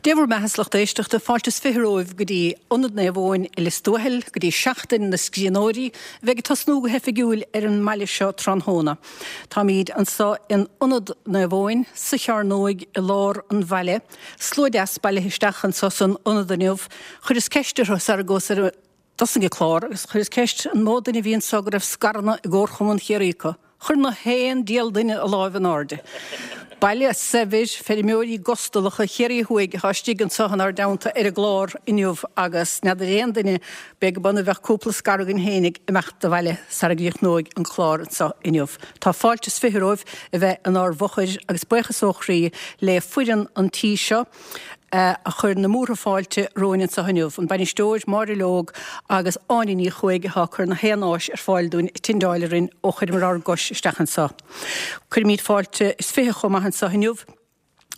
Dé bhur mbeatha 's lucht éisteachta, fáilte is 20 romhaibh go dtí Ionad Naomh Eoin i Lios Tuathail, go dtí Seachtain na Scríbhneoirí, a bheidh ag tosnú go hoifigiúil ar an mbaile seo tráthnóna. Táimíd anso in Ionad Naomh Eoin, sa Chearnóig i lár an bhaile. Slua deas bailithe isteach anso san Ionad inniu. Chuireas ceist orthu sara dtosaigh an clár agus chuireas ceist an mó duine a bhí anso go raibh scaireanna i gComharchumann Chiarraí acu. Chuir na haon diabhal duine a láimh in airde. Baile saibhir, feirmeoirí gustalacha Chiarraí Thuaidh atá istigh anso inár dteannta ar an gclár inniu agus n'fheadar aon duine, b'fhéidir gurb ionadh a bheadh cúpla scair againn fhéinig ag imeacht abhaile sara gcríochnóidh an clár anso inniu. Tá fáilte is 20 romhaibh a bheith inár bhfochair agus buíochas ó chroí le foireann an tí seo, a chuir na múrtha fáilte romhainn anseo inniu, an bainisteoir, Máire Leog agus Áine Ní Chuaig atá ag cur na haon áis ar fáil dúinn ag tindeáil orainn ó chuireamar ár gcois isteach anseo. Cuirimid fáilte is 20 chomh maith anseo inniu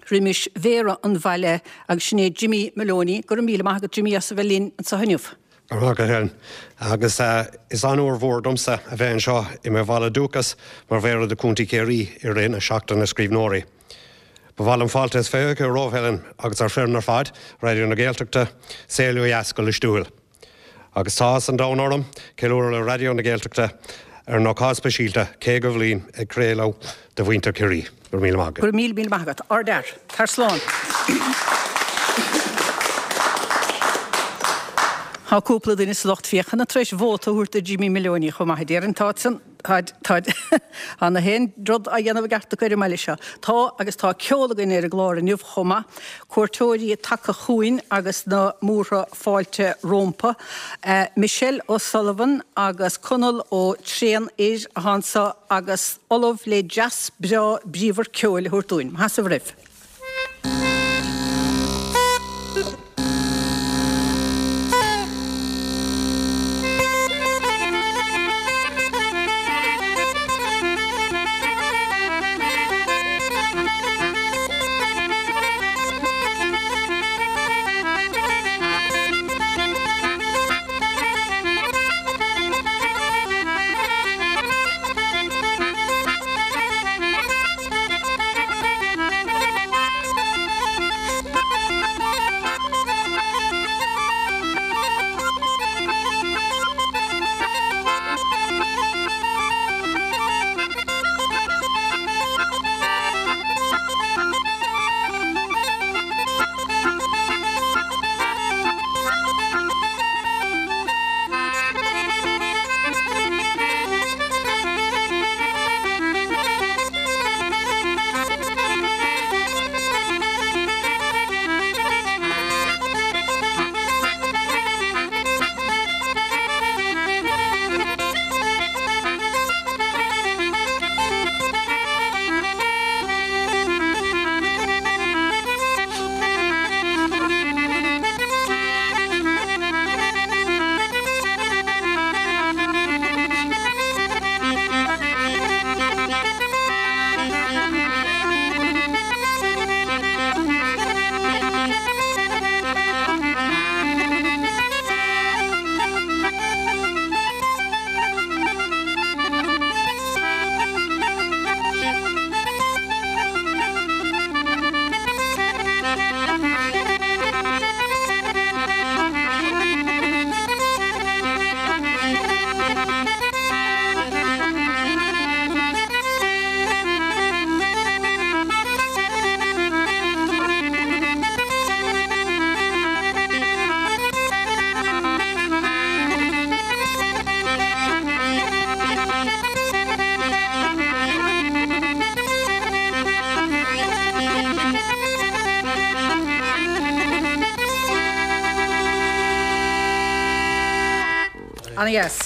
roimis Mhéara an bhaile agus sin é Jimmy Moloney. Go raibh míle maith agat Jimmy as a bheith linn anseo inniu. Go raibh maith agat Helen. Agus is onóir mhór domsa a bheith anseo i mo bhaile dúchais mar Mhéara de Chontae Chiarraí i rith na Seachtaine Scríbhneoirí. Ba mhaith liom fáilte is 20 a chur romhat Helen agus ar foireann ar fad Raidió na Gaeltachta saol ó dheas go Lios Tuathail. Agus tá áthas an domhain orm ceiliúradh le Raidió na Gaeltachta ar an ócáid speisialta 50 bhliain ag craoladh do mhuintir Chiarraí. Go raibh míle maith agat. Go raibh míle míle maith agat. Ardfhear. Tar slán. Tá cúpla duine sa lucht féachana tar éis vóta a thabhairt do Jimmy Moloney chomh maith, a déarfainn. Tá san. Tá, tá, tá na haon rud á dhéanamh i gceart acu ar an mbaile seo. Tá, agus tá ceol againn ar an gclár inniu chomh maith. Cuairteoirí tagtha chugainn agus na múrtha fáilte rómpa. Michelle O'Sullivan agus Conall Ó Tréanfhir atá anseo agus ullamh le dreas breá bríomhar ceoil a thabhairt dúinn. Maith sibh roimh. Ana-dheas.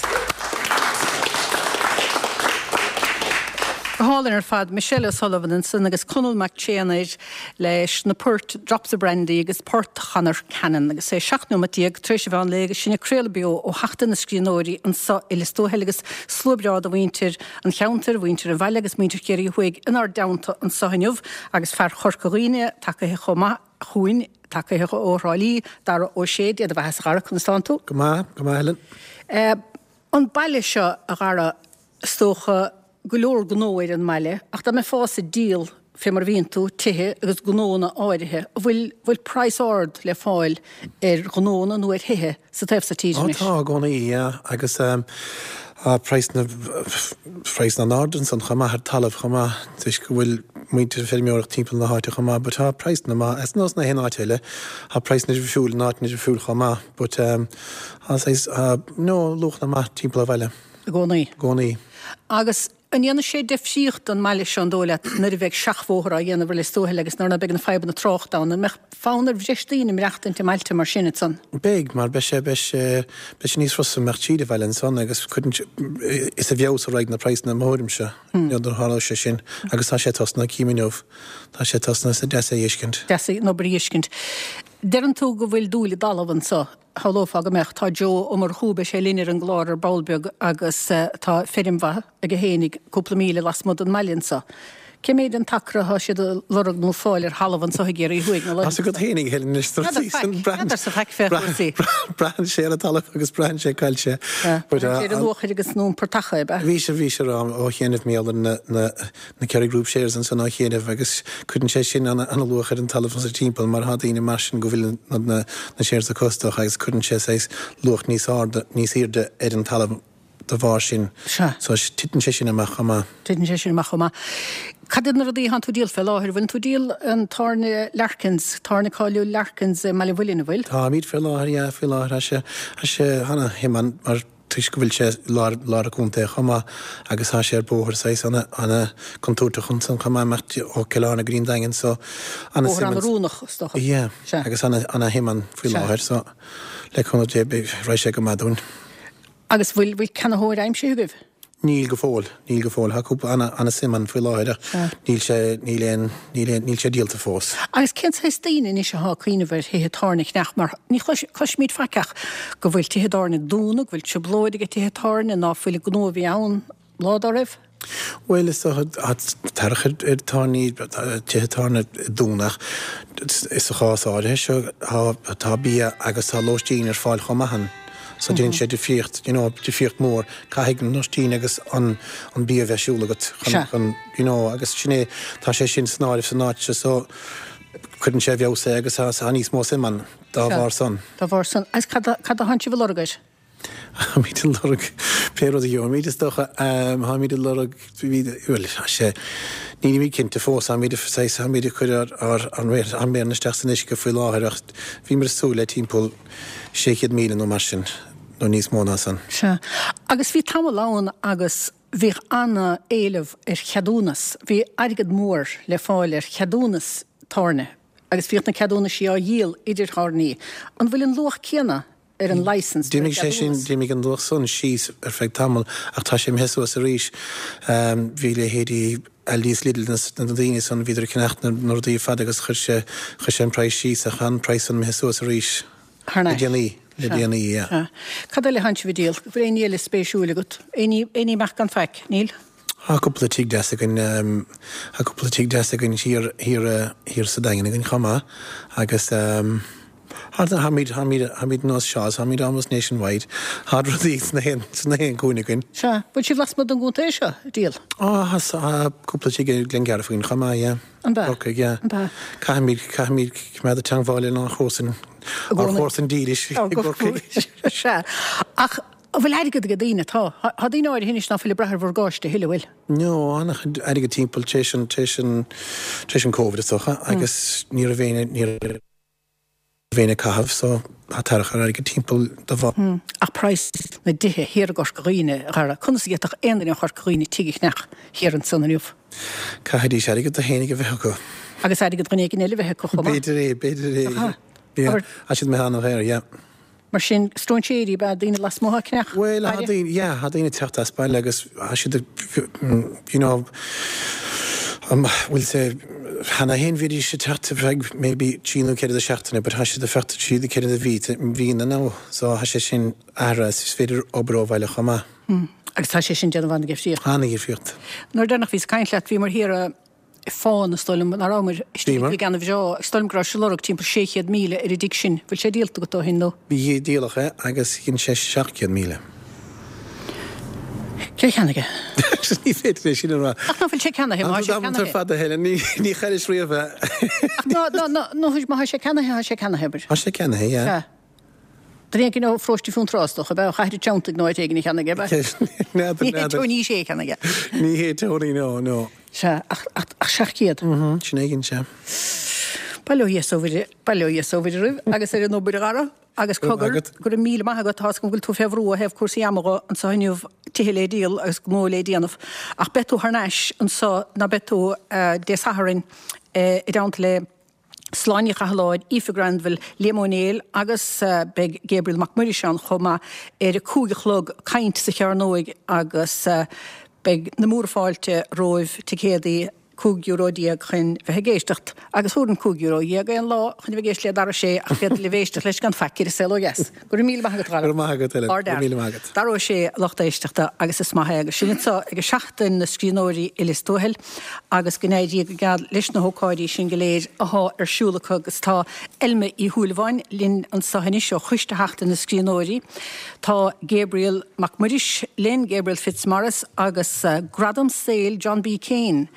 Go hálainn ar fad. Michelle O'Sullivan ansan agus Conall Mac Tréanfhir leis na poirt Drops of Brandy agus Port Chonor Cannon agus é 17 nóimeat tar éis an mheán lae agus sinn ag craoladh beo ó Sheachtain na Scríbhneoirí anso i Lios Tuathail agus slua breá de mhuintir an cheantair, mhuintir an bhaile agus muintir Chiarraí Thuaidh inár dteannta anso inniu agus fear Chorca Dhuibhne tagaithe chomh maith chugainn, tagaithe ó Thrá Lí, Dara Ó Sé, Dé do bheatha a Dhara, conas tánn tú? Go maith, go maith Helen. An baile seo, a Dhara, is dócha go leor gnó ar an mbaile ach dá mbeifeása ag díol. fé mar a bhíonn tú, tithe agus gnónna áirithe. An bhfuil, bhfuil praghas ard le fáil ar ghnónna nó ar thithe sa taobh so tíre Ó anois? tá, i gcónaí, yeah, agus tá praghas na, praghas an-ard ansan chomh maith ar talamh chomh maith, toisc go bhfuil muintir ag feirmeoireacht timpeall na háite chomh maith, but tá praghas maith, as nós na haon áit eile, tá praghas difriúil in áiteanna difriúil chomh maith, but tá saghas, tá, no, luachanna maith timpeall an bhaile. I gcónaí. I gcónaí. Agus an ndéanfaidh sé deifríocht don mbaile seo, an dóigh leat, nuair a bheidh seachbhóthar á dhéanamh ar Lios Tuathail agus nuair ná beidh na fadhbanna tráchta ann, an mbeadh fonn ar bhreis daoine maireachtaint i mbailte mar sin ansan? Beidh, mar beidh sé, beidh sé, beidh sé níos fusa imeacht tríd an bhaile ansan agus cuireann sé, is i bhfeabhas a raghaidh na praghsanna i mo thuairimse, nuair a tharlóidh sé sin agus tá sé tosnaithe cím inniu, tá sé tosnaithe is deas é a fheiscint. Deas é an obair a fheiscint. Deireann tú go bhfuil dúil i dtalamh anso. Shamhlófá go mbeadh. Tá Joe Ó Murchú, beidh sé linn ar an gclár ar ball beag agus tá feirm mhaith aige fhéinig cúpla míle lasmuigh den mbaile anso. Cé méid an t-acra atá siad a lorg nó fáil ar thalamh anso i gCiarraí Thuaidh na Tá's agat fhéinig, Helen, anois N'fheadar faic, n'fheadarsa faic fé chúrsaí. Braitheann sé ar an talamh agus braitheann sé cá bhfuil sé. Braitheann sé ar an luachair agus an iompar taca, ab ea? Bhí sé, bhí sé a rá ó chianaibh mar gheall ar na, na, na Kerry Group shares ansan ó chianaibh agus cuireann sé sin ana-luach ar an talamh anso timpeall mar thá daoine mar sin go bhfuil na shares acu is dócha agus cuireann sé saghas luach níos airde níos airde ar an talamh de bharr sin. Sea. So titeann sé sin amach chomh maith. Titeann sé sin amach chomh maith. Cad iad na rudaí atánn tú ag díol fé láthair? Bhfuileann tú ag díol an tábhairne Larkins, tábhairne cáiliúil Larkins i mBaile an Mhuilinn, an bhfuil? Táimid fé láthair, yeah, faoi láthair. Tá sé, tá sé ana-shuim ann mar toisc go bhfuil sé i lár, lár an chontae chomh maith agus tá sé ar bóthar saghas ana, ana contúirteach ansan chomh maith imeacht ó Cill Airne go dtí an Daingean so ana Bóthar suim ann. ana-oiriúnach is dócha. Yeah, Sea. agus ana, ana shuim ann faoi Sea. láthair so le cúnamh Dé beidh, raghaidh sé go maith dúinn. Agus bhfuil, bhfuil ceannaitheoir aimsithe agaibh? Níl go fóill, níl go fóill. Tá cúpla ana, ana suim ann faoi láthair ach níl sé, níl aon, níl aon, níl sé díolta fós. Agus cén saghas daoine anois atá ag cuimhneamh ar thithe tábhairne a cheannach mar ní chlois, cloisimid faic ach go bhfuil tithe tábhairne ag dúnadh, go bhfuil trioblóid ag tithe tábhairne, ná fuil an gnó a bhí ann lá dá raibh? Bhuel, is dócha, tá tarrac ar, ar tábhairní, tithe tábhairne ag dúnadh ach sa chás áirithe seo tá, tá bia agus tá lóistín ar fáil chomh maith ann. So déanann sé difríocht, you know, difríocht mór. Caithfidh an lóistín agus an an bia a bheith ar siúl agat chun, chun, you know, agus sin é, tá sé sin san áireamh san áit seo so cuireann sé i bhfeabhas é agus tá, tá níos mó suim ann dá bharr san. Dá bharr san. Agus cad a, cad a thánn sibh a lorg air? Táimid ag lorg pé rud a gheobhaimid is dócha. Táimid ag lorg, bhuel, tá sé, nílimid cinnte fós, táimid, saghas, táimid ag cur ár, ár, ár méireanna isteach san uisce faoi láthair ach bhíomar ag súil le timpeall 600,000 nó mar sin, nó níos mó ná san. Sea. Agus bhí tamall ann agus bhíodh ana-éileamh ar cheadúnas, bhí airgead mór le fáil ar cheadúnas tábhairne agus bhíodh na ceadúnaisí á dhíol idir thábhairní. An bhfuil an luach céanna ar an licence, ar an D'imigh sé sin, cheadúnas? d'imigh an luach san síos ar feadh tamaill ach tá sé imithe suas arís. Bhí leithéidí Aldi is Lidl na daoine san, bhíodar ag ceannacht na rudaí ar fad agus chuir sé, chuir sé an praghas síos ach tá an praghas san imithe suas arís Thar le n-ais. déanaí, le Sea. déanaí, yeah. Sea. Cad eile a thánn sibh ag díol? Bhfuil aon ní eile spéisiúil agat? Aon ní, aon ní amach gan faic? Níl? Tá cúpla tigh deas againn, tá cúpla tigh deas againn thiar, thiar, thiar sa Daingean againn chomh maith agus tá, táimid, táimid, táimid nós Shaw's, táimid almost nationwide, tá rudaí sna haon, sna haon cúinne againn. Sea. Bhfuil sibh lasmuigh den gcontae seo ag díol? Á, tá, tá cúpla tigh i Glengarriff againn chomh maith, yeah. An b'ea? Corcaigh, yeah. An b'ea? Caithfimid, caithfimid coimeád i dteangmháil lenár chomharsain, I ár gcónaí. chomharsain dílis i Á, go gCorcaigh. Sea. Ach an bhfuil airgead ag daoine? Tá. Tá daoine áirithe anois ná fuil ag brath ar mhorgáiste a thuilleadh, bhfuil? No, an-chuid airgead timpeall tar éis an, tar éis an, tar éis an Covid is dócha agus ní raibh éinne, ní raibh éinne ag caitheamh so tá tarrac ar airgead timpeall de bharr. Ach praghas na dtithe thiar i gCorca Dhuibhne, a Dhara, conas a d'fhéadfadh aon duine ó Chorca Dhuibhne tigh a cheannach thiar ansan inniu? Caithfidís airgead iad fhéinig a bheith acu. Agus airgead dhuine éigin eile a bheith acu chomh maith. B'fhéidir é, b'fhéidir é. Aha. Yeah, tá siad imithe an-dhaor, yeah. Mar sin, stróinséirí ab ea daoine lasmuigh ag ceannach Bhuel, tá baile? daoine, yeah, tá daoine ag teacht as baile agus tá siad ag, you know, bhfuil sé, cheana féin bhídís ag teacht ar feadh maybe trí nó ceithre seachtaine but tá siad ag teacht trí nó ceithre mhí, mhíonna now so tá sé sin athraithe is féidir obair ó bhaile chomh maith. Agus tá sé sin ag déanamh an-dhifríocht. An-dhifríocht. Nuair deireanach bhíos ag caint leat bhíomar thiar i Fána, is dóigh liom, nach rabhamar istigh Bhíomar. i dtigh an-bhreá, is dóigh liom go raibh sibh ag lorg timpeall 600,000 ar an dtigh sin. Bhfuil sé díolta agat ó shin nó? Bhí, díoladh é agus dhein sé 700,000. Cé a cheannaigh é? Ní féidir é sin a rá. Ach ná fuil sé ceannaithe, má tá sé ceannaithe. Ar fad a Helen, ní chaillis riamh é. Ach ná, ná, ná, ná, má tá sé ceannaithe, tá sé ceannaithe, abair. Tá sé ceannaithe, yeah. Sea. Duine éigin ó Pharóiste Fionntrá, is dócha, ab ea, ó Chathair an Treanntaigh nó áit éigin a cheannaigh é, ab ea? N'fheadar, Ní hé Tony Shea a cheannaigh é. Ní hé Tony, no, no. Sea, ach, ach, ach 700. Mhm, sin éigin, sea. Bail ó Dhia 's ó Mhuire, bail ó Dhia 's ó Mhuire oraibh agus ar an obair, a Dhara. Agus cogar, go raibh míle maith agat, tá's agam go bhfuil tú fé bhrú ó thaobh cúrsaí ama dho anso inniu, tithe le díol agus gnó le déanamh, ach beidh tú thar n-ais anso, ná beidh tú, Dé Sathairn i dteannta le Sláine Ní Chathalláin, Aoife Granville, Liam Ó Néill agus beidh Gabriel Mac Muiris ann chomh maith ar a 5 a chlog, caint sa Chearnóig agus beidh na múra fáilte romhaibh, ticéadaí. €15 chun bheith ag éisteacht agus thabharfainn €15 aon lá chun a bheith ag éisteacht le Dara Ó Sé ach féadfaidh libh éisteacht leis gan faic ar an saol ó dheas. Go raibh míle maith agat, a Dhara. Go raibh maith agat, Helen. Go raibh míle maith agat. Dara Ó Sé, a lucht éisteachta, agus is maith é agus sinn anseo ag Seachtain na Scríbhneoirí i Lios Tuathail agus go n-éirí go geal leis na hócáidí sin go léir athá ar siúl acu agus tá Eilme Uí Shúilleabháin linn anseo anois ó Choiste Sheachtain na Scríbhneoirí. Tá Gabriel Mac Muiris linn, Gabriel Fitzmaurice, agus Gradam Saoil John B. Keane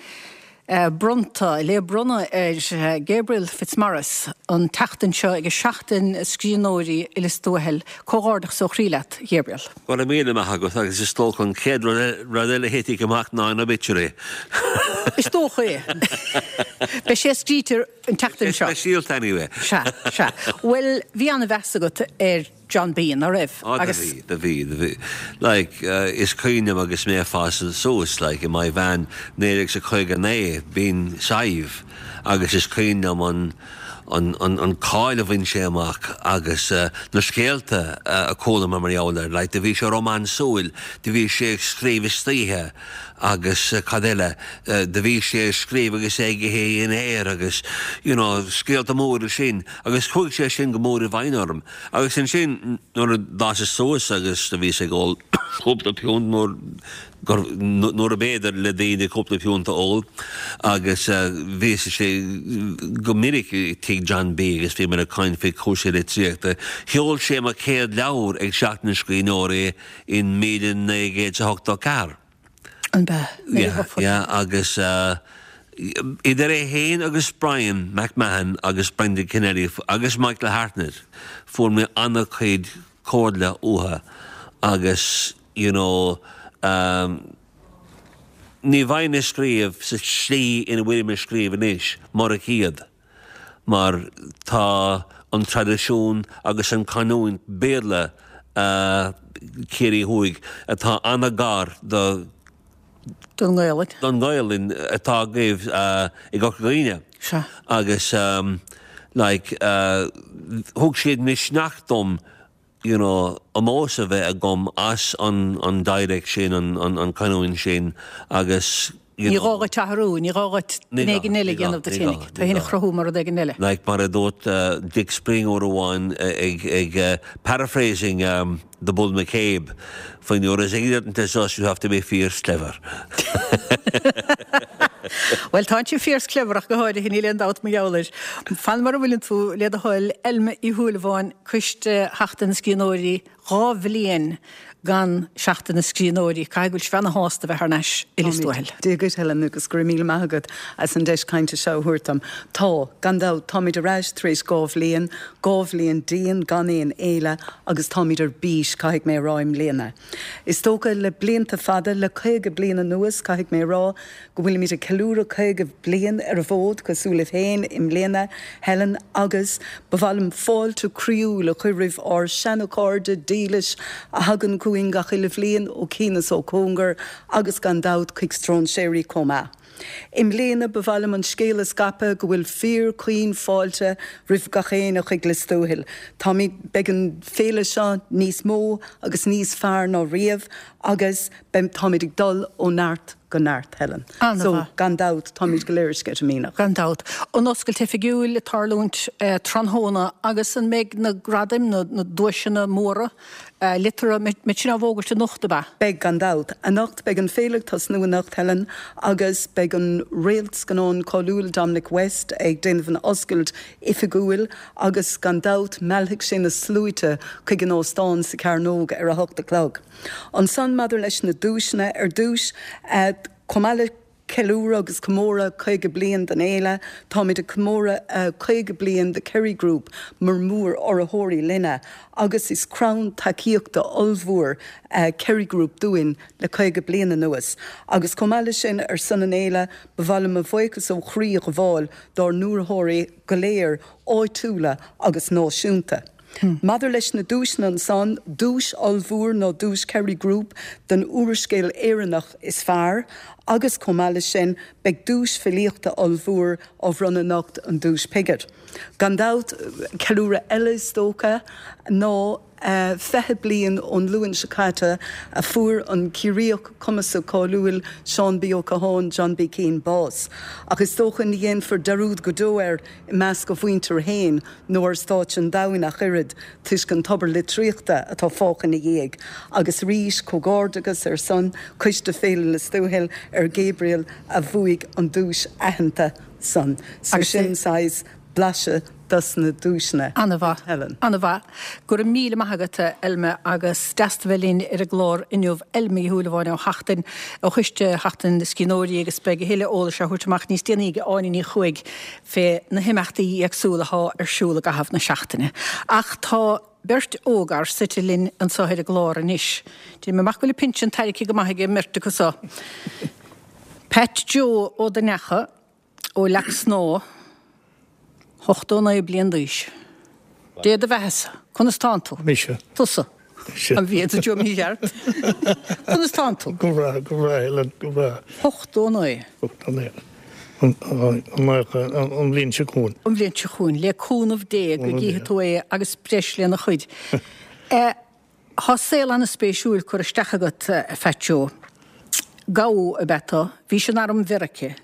bronnta, le bronnadh ar Gabriel Fitzmaurice an tseachtain seo ag Seachtain na Scríbhneoirí i Lios Tuathail. Comhghairdeachas ó chroí leat, Gabriel. Go raibh míle maith agat agus is dócha an chéad rud eile a thitfidh amach ná an obituary. Is dócha é. Beidh sé scríte an tseachtain seo. Speisialta anyway. Sea, sea. Bhuel, bhí an-mheas agat ar John B, ná raibh? Á, do bhí, do bhí, do bhí. Like, is cuimhin liom agus mé ag fás suas, like, i Maigh Mheáin, 1959, b'in Sadhbh, agus is cuimhin liom an, an, an, an cáil a bhain sé amach agus na scéalta a chuala mé mar gheall air, like, do bhí sé rómánsúil, do bhí sé ag scríobh istoíche agus cad eile, do bhí sé ag scríobh agus é ag ithe a dhinnéir agus, you know, scéalta móra sin agus chuaigh sé sin go mór i bhfeidhm orm. Agus ansin nuair a d'fhásas suas agus do bhíos ag ól cúpla piúnt nuair gur nuair ab fhéidir le daoine cúpla piúnt a ól agus bhíos go minic i tigh John B agus bhíomar ag caint faoi chúrsaí litríochta. Sheol sé mo chéad leabhar ag Seachtain na Scríbhneoirí in 1984. An b'ea? Yeah, yeah, agus idir é féin agus Brian McMahon agus Brendan Kennelly agus Michael Hartnett, fuair mé an-chuid comhairle uathu agus, you know, ní bheinn ag scríobh sa tslí ina bhfuilim ag scríobh anois murach iad. mar tá an traidisiún agus an canúint Béarla Ciarraí Thuaidh atá an-ghar do don nGaelainn don nGaelainn atá agaibh i gCorca Dhuibhne. Sea. Agus like thug siad misneach dom you know, ómós a bheith agam as an, an dialect sin, an, an, an canúint sin agus, you Ní know. gá dhuit athrú, ní gá dhuit Ní duine gá, éigin eile ní a gá, dhéanamh duit ní gá, fhéinig. ní Tú fhéin a gá. chruthú mar rud éigin eile. Like mar a dúirt Dick Spring uair amháin ag, ag paraphrasing The Bull McCabe, when you're as ignorant as us you have to be fierce clever. Bhuel, tá tú fierce clever ach go háirithe, níl aon dabht mar gheall air. Fan mar a bhfuileann tú, le do thoil, Eilme Uí Shúilleabháin, Coiste Sheachtain na Scríbhneoirí, 2 bhliain gan Seachtain na Scríbhneoirí, caithfidh go bhfuil sibh ana-shásta bheith thar n-ais i Lios Tuathail. Dia dhuit, Helen, agus go raibh míle maith agat as an deis cainte seo a thabhairt dom. Tá, gan dabht, táimid ar ais tar éis 2 bhliain, 2 bhliain dian gan aon fhéile agus táimid ar bís, caithfidh mé a rá, i mbliana. Is dócha, le blianta fada, le 50 bliain anuas, caithfidh mé a rá, go bhfuilimid ag ceiliúradh 50 bliain ar an bhfód, cosúil libh féin, i mbliana, Helen, agus ba mhaith liom fáilte croíúil a chur roimh ár seana-chairde dílis a thagann chugainn gach uile bhliain, ó chian is ó chóngar, agus gan dabht chuig stróinséirí chomh maith. I mbliana, ba mhaith liom an scéal a scaipeadh go bhfuil fíor chaoin fáilte roimh gach éinne chuig Lios Tuathail. Táimid, beidh an féile seo níos mó agus níos fearr ná riamh agus beidh, táimid ag dul ó neart. Go neart, Helen. So, gan dabht, táimid go léir sceitimíneach. Gan dabht. An oscailt oifigiúil ag tarlúint tráthnóna agus an mbeidh na gradaim, na duaiseanna móra liteartha, mbeidh sin á bhfógairt anocht, ab ea? Beidh, gan dabht. Anocht, beidh an féile ag tosnú anocht, Helen, agus beidh an réalt scannáin cáiliúil Dominic West ag déanamh an oscailt oifigiúil agus gan dabht meallfaidh sé na sluaite chuig an óstán sa Chearnóg ar a hocht a chlog. Ansan maidir leis na duaiseanna, ar dtús, chomh maith le ceiliúradh agus comóradh 50 bliain den fhéile, táimid ag comóradh 50 bliain de Kerry Group mar mhór-urraitheoirí linne agus is crann tacaíochta ollmhór Kerry Group dúinn le 50 bliain anuas. Agus chomh maith leis sin, ar son an fhéile, ba mhaith liom mo bhuíochas ó chroí a ghabháil dár n-urraitheoirí go léir, áitiúla agus náisiúnta. Maidir leis na duaiseanna ansan, duais ollmhór ná duais Kerry Group don úrscéal Éireannach is fearr agus chomh maith leis sin beidh duais filíochta ollmhór á bhronnadh anocht, an Duais Piggott. Gan dabht, ceiliúradh eile is dócha ná 20 bliain ón Luan seo caite a fuair an Ciarraíoch cumasach cáiliúil Seán B Ó Catháin, John B Keane, bás. Ach is dócha ní dhéanfar dearúd go deo air i measc a mhuintir féin nó ar stáitse an domhain ach oiread, toisc an tobar litríochta atá fágtha ina dhiaidh. Agus arís, comhghairdeachas ar son Coiste Féile Lios Tuathail ar Gabriel a bhuaigh an duais aitheanta san. So sin saghas blaiseadh dos na duaiseanna. Ana-mhaith. Helen. Ana-mhaith. Go raibh míle maith agat, a Elma, agus deas tú bheith linn ar an gclár inniu. Elma Uí Shúilleabháin ó Sheachtain, ó Choiste Sheachtain na Scríbhneoirí agus beidh a thuilleadh eolais á thabhairt amach níos déanaí ag Áine Ní Chuaig fé na himeachtaí éagsúla athá ar siúl i gcaitheamh na seachtaine. Ach tá beirt ógfhear suite linn anso ar an gclár anois. Déanaim amach go bhfuil a bpinsean tairgthe go maith ag an mbeirt acu so. Pat Joe Ó Duinneacha ó Leac Snámha, 89 bliain d'aois. Dé do bheathasa, conas tánn tú? Mise. Tusa. Mise. An bhí tú mícheart? Conas tánn tú? Go breá, go breá, Helen, go breá. 89. 89. An an bhliain seo chugainn. An bhliain seo chugainn, le cúnamh Dé go gcífidh tú é agus breis lena chuid. Tá saol an-spéisiúil curtha isteach agat, a Phat Joe. Gabha ab ea tú. Bhís in arm Mheirice.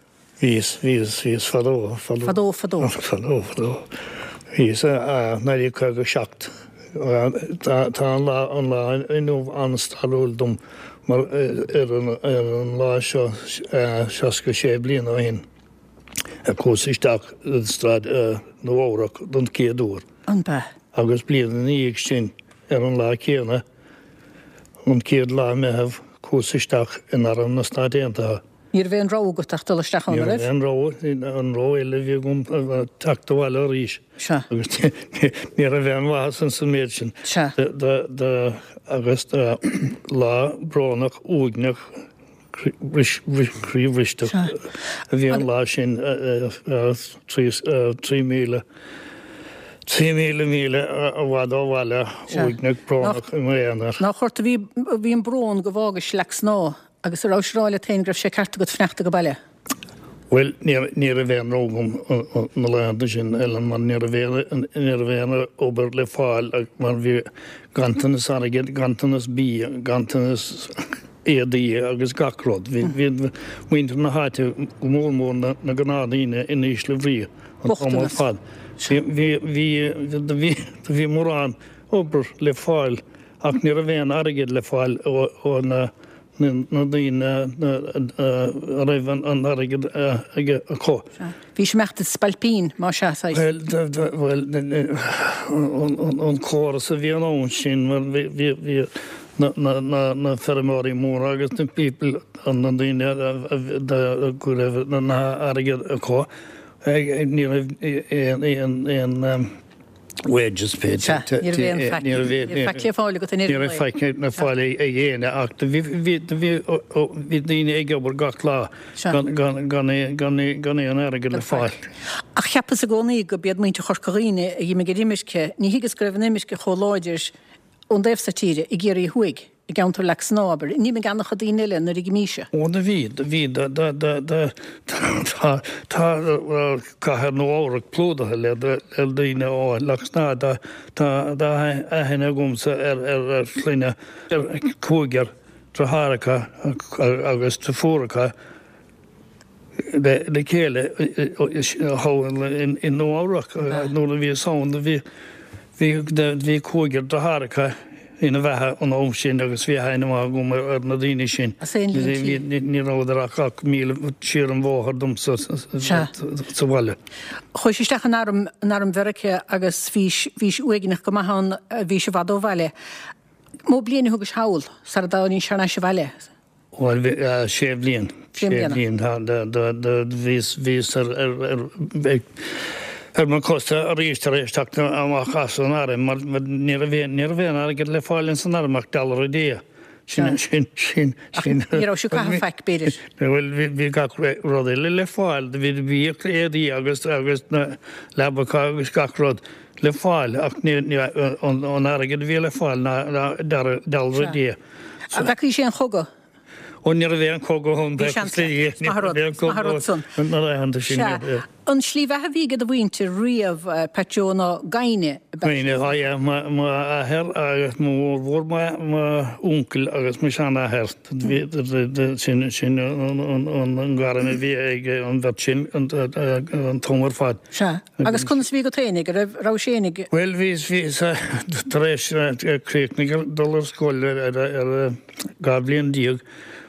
Bhíos, bhíos, bhíos fadó, fadó. Fadó, fadó. Fadó, fadó. Bhíos i 1957. Tá, tá an lá, an lá inniu an-stairiúil dom mar ar an, ar an lá seo 66 bliain ó shin a chuas isteach i Staid Nua Eabhrac don chéad uair. An b'ea? Agus bliain ina dhiaidh sin, ar an lá céanna, an chéad lá Meitheamh, chuas isteach in Arm na Stát Aontaithe. Ní raibh aon rogha agat ach dul isteach ann, Ní an raibh raibh? aon rogha, an rogha eile a bhí agam teacht abhaile arís. Sea. Agus ní raibh aon mhaitheas ins an méid sin. Sea. Agus lá brónach uaigneach croíbhristeach a bhí an lá sin, 3,000, 3,000 míle i bhfad ó bhaile, uaigneach brónach i m'aonar. Nach ort a bhí an brón go bhfágais Leac Snámha agus an rabhais ag rá leat féin go raibh sé ceart agat fanacht age baile? Bhuel, ní raibh aon rogha agam na laethanta sin, Ellen, mar ní raibh aon, ní raibh aon obair le fáil mar bhí ganntanas airgid, ganntanas bia, ganntanas éadaí agus gach rud. Bhí muintir na háite, go mór mór na gnáthdhaoine, in ísle brí an t-am ar fad. Bhí, bhí, bhí, bhí mórán obair le fáil ach ní raibh aon airgead le fáil ó na na daoine a raibh an airgead acu. Bhís ag imeacht i spailpín, más ea, saghas. Bhuel, an córas a bhí ann sin, mar bhí na feirmeoirí móra agus na people, na daoine go raibh an airgead acu, ní raibh aon wages paid. Sea, ní raibh aon faic, ní raibh faic le fáil agat in Ní raibh faic le fáil ag éinne ach bhí bhí daoine ag obair gach lá gan aon airgead le fáil. Ach cheapas i gcónaí go b'iad muintir Chorca Dhuibhne a dh'imigh ar imirce, ní thuigeas go raibh an imirce chomh láidir ón dtaobh so tíre, i gCiarraí Thuaidh. i gceantar Leac Snámha, abair. An d'imigh an-chuid daoine eile nuair a dh'imís-se. Ó do bhí, do bhí, do, do, do, do, tá, tá cathair Nua Eabhrac plódaithe le, le daoine ó Leac Snámha. Tá, tá, tá aithne agamsa ar, ar, ar shloinne, ar cúigear. deartháireacha agus deirfiúracha le chéile thall i Nua Eabhrac nuair a bhíos ann. Bhí cúigear deartháireacha ina bheatha an am sin agus bhí aithne mhaith agam ar na daoine sin. Ní rabhadar ach míle siar an bhóthar domsa sa bhaile. Chuais isteach in arm, in arm Mheiriceá agus bhís, bhís uaigneach go maith ann, bhís i bhfad ó bhaile. Mó bliain a thugais thall sara dtáinís thar n-ais abhaile? Bhuel, bhí, sé bhliain. Sé bliana. Bhíos, bhíos ar, ar, ar, ar mo chosa arís tar éis teacht amach as an arm mar ní raibh aon, ní raibh aon airgead le fáil ins an arm ach dollar a day. Sin, sin, sin, sin. Ní raibh sibh ag caitheamh faic, b'fhéidir. Bhuel, bhí, bhí gach rud eile le fáil. Bhí, bhíodh éadaí agus, agus na leabacha agus gach rud le fáil ach ní, ní, an, an airgead a bhí le fáil ná, ná dollar a day. An bhfeacaís aon chogadh? Ó ní raibh aon chogadh ann Bhí seans leat. Is maith an rud, is maith an rud san. Na laethanta sin. Sea. An slí bheatha a bhí ag do mhuintir riamh, Pat Joe, ná gaibhne ab ea? Gaibhne, á yeah, mo athair agus mo mhórmhór m'uncail agus mo sheanathair. Sin sin an gairm a bhí ag an bheirt sin an t-am ar fad. Sea. Agus conas a bhí agat fhéinig? An raibh, rabhais fhéinig? Bhuel, bhíos, bhíos tar éis críochnaigh dul ar scoil ar, ar 12 bhliain,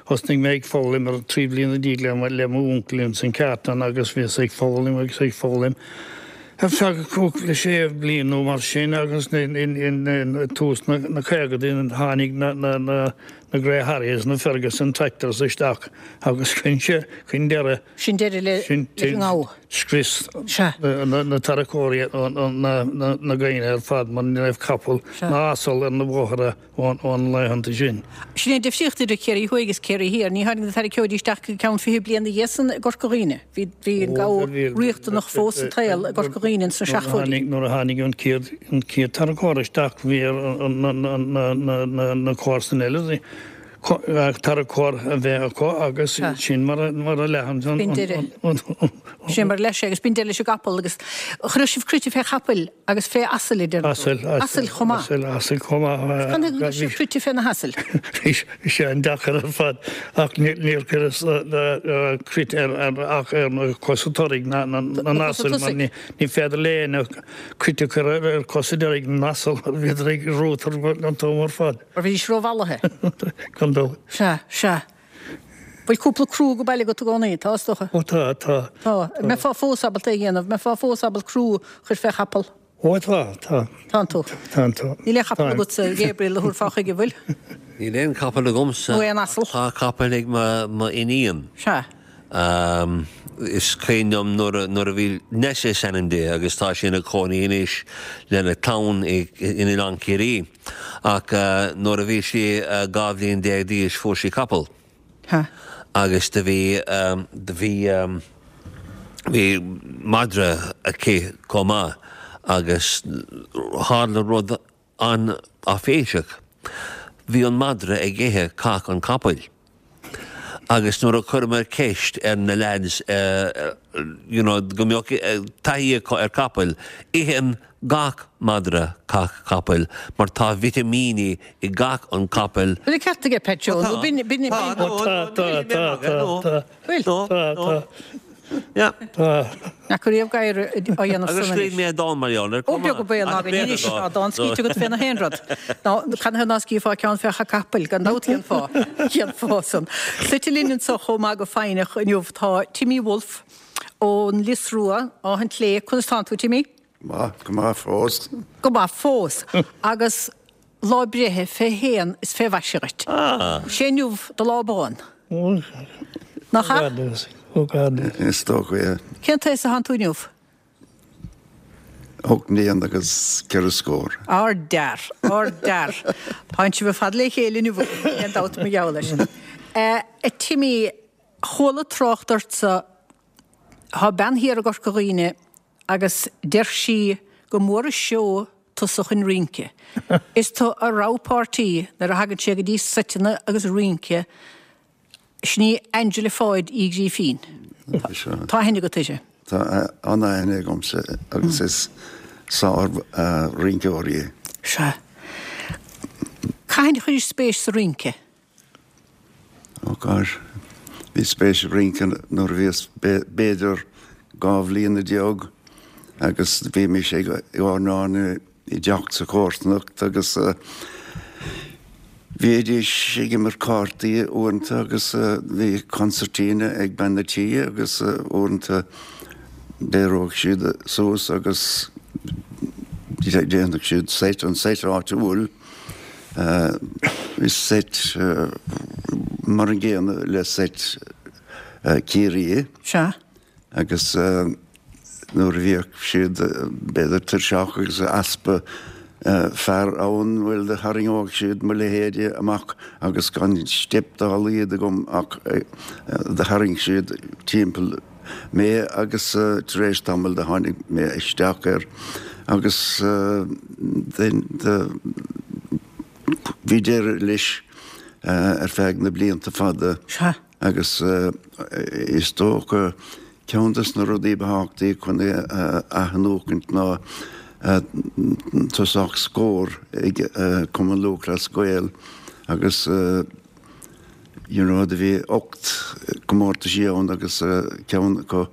thosnaigh mé ag foghlaim ar 13 bliana le, le m'uncail ins an cheártan agus bhíos ag foghlaim agus ag foghlaim ar feadh cúpla sé bliain nó mar sin agus in, in, in, in tús na, na caogadaí tháinig na, na, na, na Grey Harriers, na Ferguson tractors isteach agus chuir sé, chuir deireadh Sin deireadh le, leis an ngabha. Scrios na tarracóirí na gaibhne ar fad mar ní raibh capall ná asal ar na bóithre an laethanta sin. Sin é an difríocht idir Ciarraí Thuaidh agus Ciarraí Thiar. Ní tháinig na tarraiceoirí isteach go ceann 20 bliain ina dhiaidh san i gCorca Dhuibhne. Bhí bhí an gabha riachtanach fós sa tsaol i gCorca Dhuibhne ins na seachtóidí. Nuair a tháinig an chéad tarracóir isteach bhí ar na comharsana eile tarracóir a bheith acu agus sin mar a leath an. B'in deireadh. Sin mar a leath sé agus b'in deireadh leis an gcapall agus chuireadh sibh cruite fé chapaill agus fé asail a deir tú. Asail, asail chomh maith. Asail, asail chomh maith. Canathaobh go gcuireadh sibh cruite fé na hasail? Bhí sé an-deacair ar fad ach níor cuireadh cruit ar ach ar na cosa toraidh na n-asal mar ní féidir le éinne cruit a chur ar cosa deiridh na n-asal mar bhíodar ag rútar an t-am ar fad. Mar bhídís rómhallaithe. Gan dabht. Sea, sea. Bhfuil cúpla crú ag baile agat i gcónaí? Tá, is dócha. Ó tá, tá. Tá. Mbeifeá fós ábalta é a dhéanamh? Mbeifeá fós ábalta crú a chur fé chapall? Ó tá, tá. Tánn tú. Tánn tú. Níl aon chapall agatsa, Gabriel, a thabharfá chuige, bhfuil? Níl aon chapall agamsa. Nó aon asal? Tá capall ag m'iníon. Sea. Is cuimhin liom nuair a bhí Nessa is ainm di agus tá sí ina cónaí anois lena clann in Oileán Ciarraí. Ach nuair a bhí sí 12 bhliain d'aois fuair sí capall. Agus do bhí, do bhí, bhí madra aici chomh maith agus tharla rud an-áiféiseach. Bhí an madra ag ithe cac an chapaill. Agus nuair a chuireamar ceist ar na lads you know go mbeadh taithí acu ar capaill, itheann gach madra cac capaill mar tá vitimíní i gcac an chapaill. Bhfuil an ceart aige Pat Joe nó b'in, b'in, b'in. Tá, tá, tá, tá, Bhfuil? tá, tá. Yeah. Tá. Nach riamh gadhar á dhéanamh san anois. Agus scríobh mé dán mar gheall air. Ó beag an baol ná go n-inis ná dán scríte agat fé na haon rud. Ná canathaobh ná scríofá ceann fé chac capaill, gan dabht cén fáth. Cén fáth san. Suite linn anso chomh maith go foighneach inniu tá Timmy Woulfe ón Lios Rua, Áth an tSléibhe. Conas tánn tú, Timmy? Maith, go maith fós. Go maith fós. Agus lá breithe fé shéan is fé mhaise dhuit. Sé inniu do lá bán. Nach ea? Is dócha é. Cén t-aos atánn tú inniu? Ocht mbliana agus ceithre scór. Ard-fhear, ard-fhear. Tánn sibh ar fad le chéile inniu, níl aon dabht mar gheall air. A Timmy, chuala trácht ortsa, tá bean thiar i gCorca Dhuibhne agus deir sí go mór an seó tusa chun rince. Is tú a rogha páirtí nuair a thagann sé go dtí seiteanna agus rince, sin í Angela Pháid Uí Ghrífín. Tá aithne agat uirthi? Tá an-aithne agamsa agus is sár-rinceoir í. Sea. Cathain a chuiris spéis sa rince? Oh gosh, bhí spéis i rince nuair a bhíos b'fhéidir 12 bhliana agus bhímis ag airneán i dteach sa chomharsanacht agus bhídís ag imirt cártaí uaireanta agus bhí consairtín ag bean a' tí agus uaireanta d'éireodh siad suas agus dhéanfadh siad seit, an seit áitiúil. Bhí seit mar an gcéanna le seit Ciarraí. Sea. Agus nuair a bhíodh siad, b'fhéidir, tuirseach agus easpa fear ann, bhuel, do tharraingeodh siad mo leithéide amach agus gan steip dá laghad agam ach do tharraing siad timpeall mé agus tar éis tamaill do tháinig mé isteach air agus do bhí deireadh leis ar feadh na blianta fada. Sea. Agus is dócha ceann des na rudaí ba thábhachtaí chun é a athnuachaint ná tosach Scór ag Cumann Lúthchleas Gael agus you know do bhí 8 comórtaisí ann agus ceann acu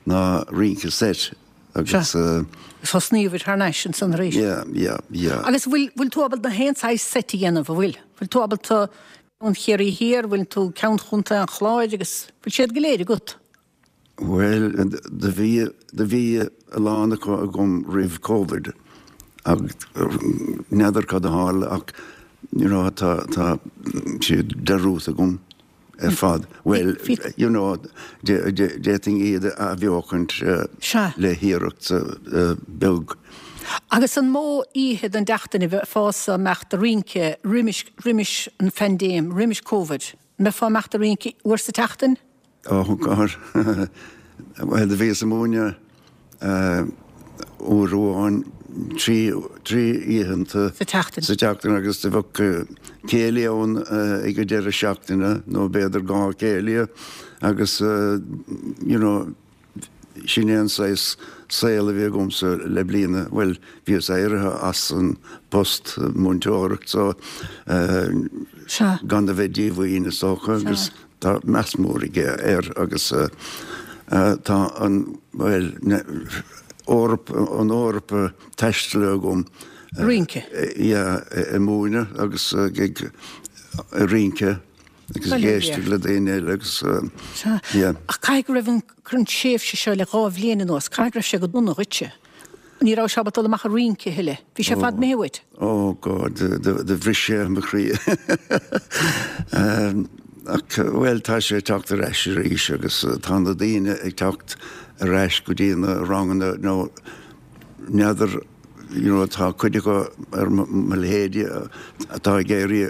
ná rince seit agus. Sea. Thosnaíobhair thar n-ais ansan arís. Yeah, yeah, yeah. Agus bhfuil, bhfuil tú ábalta na haon saghas seit a dhéanamh, an bhfuil? Bhfuil tú ábalta ceann Chiarraí Thiar, bhfuil tú ceann Chontae an Chláir agus bhfuil siad go léir agat? Bhuel, do bhí, do bhí a lán acu agam roimh Covid ach n'fheadar cad a tharla ach you know tá, tá siad dearúdta agam ar fad. Bhuel, you know, d'fhéadfainn iad a athbheochaint le hiarracht beag. Agus an mó oíche den tseachtain a bheifeása imeacht a rince roimis, roimis an phaindéim, roimis Covid? An mbeifeá imeacht a rince uair sa tseachtain? Oh God. Bhuel, do bhíos ag múineadh uair amháin, trí, trí oícheanta Sa tseachtain. sa tseachtain agus do bheadh céilí ann ag an deireadh seachtaine nó b'fhéidir dhá chéilí agus you know sin é an saghas saol a bhí agamsa le bliana, bhuel bhíos éirithe as an bpost múinteoireacht so gan a bheith díomhaoin is dócha agus tá meas mór aige air agus tá an, bhuel, Eoraip, an Eoraip taistealaithe agam. Rince. Yeah, ag múineadh agus ag rince. Agus ag éisteacht le daoine eile agus Sea. yeah. Ach caithfidh go raibh an tréimhse seo le dhá bhliain anuas, caithfidh go raibh sé go dona dhuitse. Ní rabhais ábalta dul amach a rince a thuilleadh. Bhí sé ar fad imithe uait. Oh God, do bhris sé mo chroí. Ach, bhuel, tá sé ag teacht ar ais arís agus tá na daoine ag teacht ar ais go dtí na ranganna nó n'fheadar, you know, tá cuid acu ar mo leithéidí atá ag éirí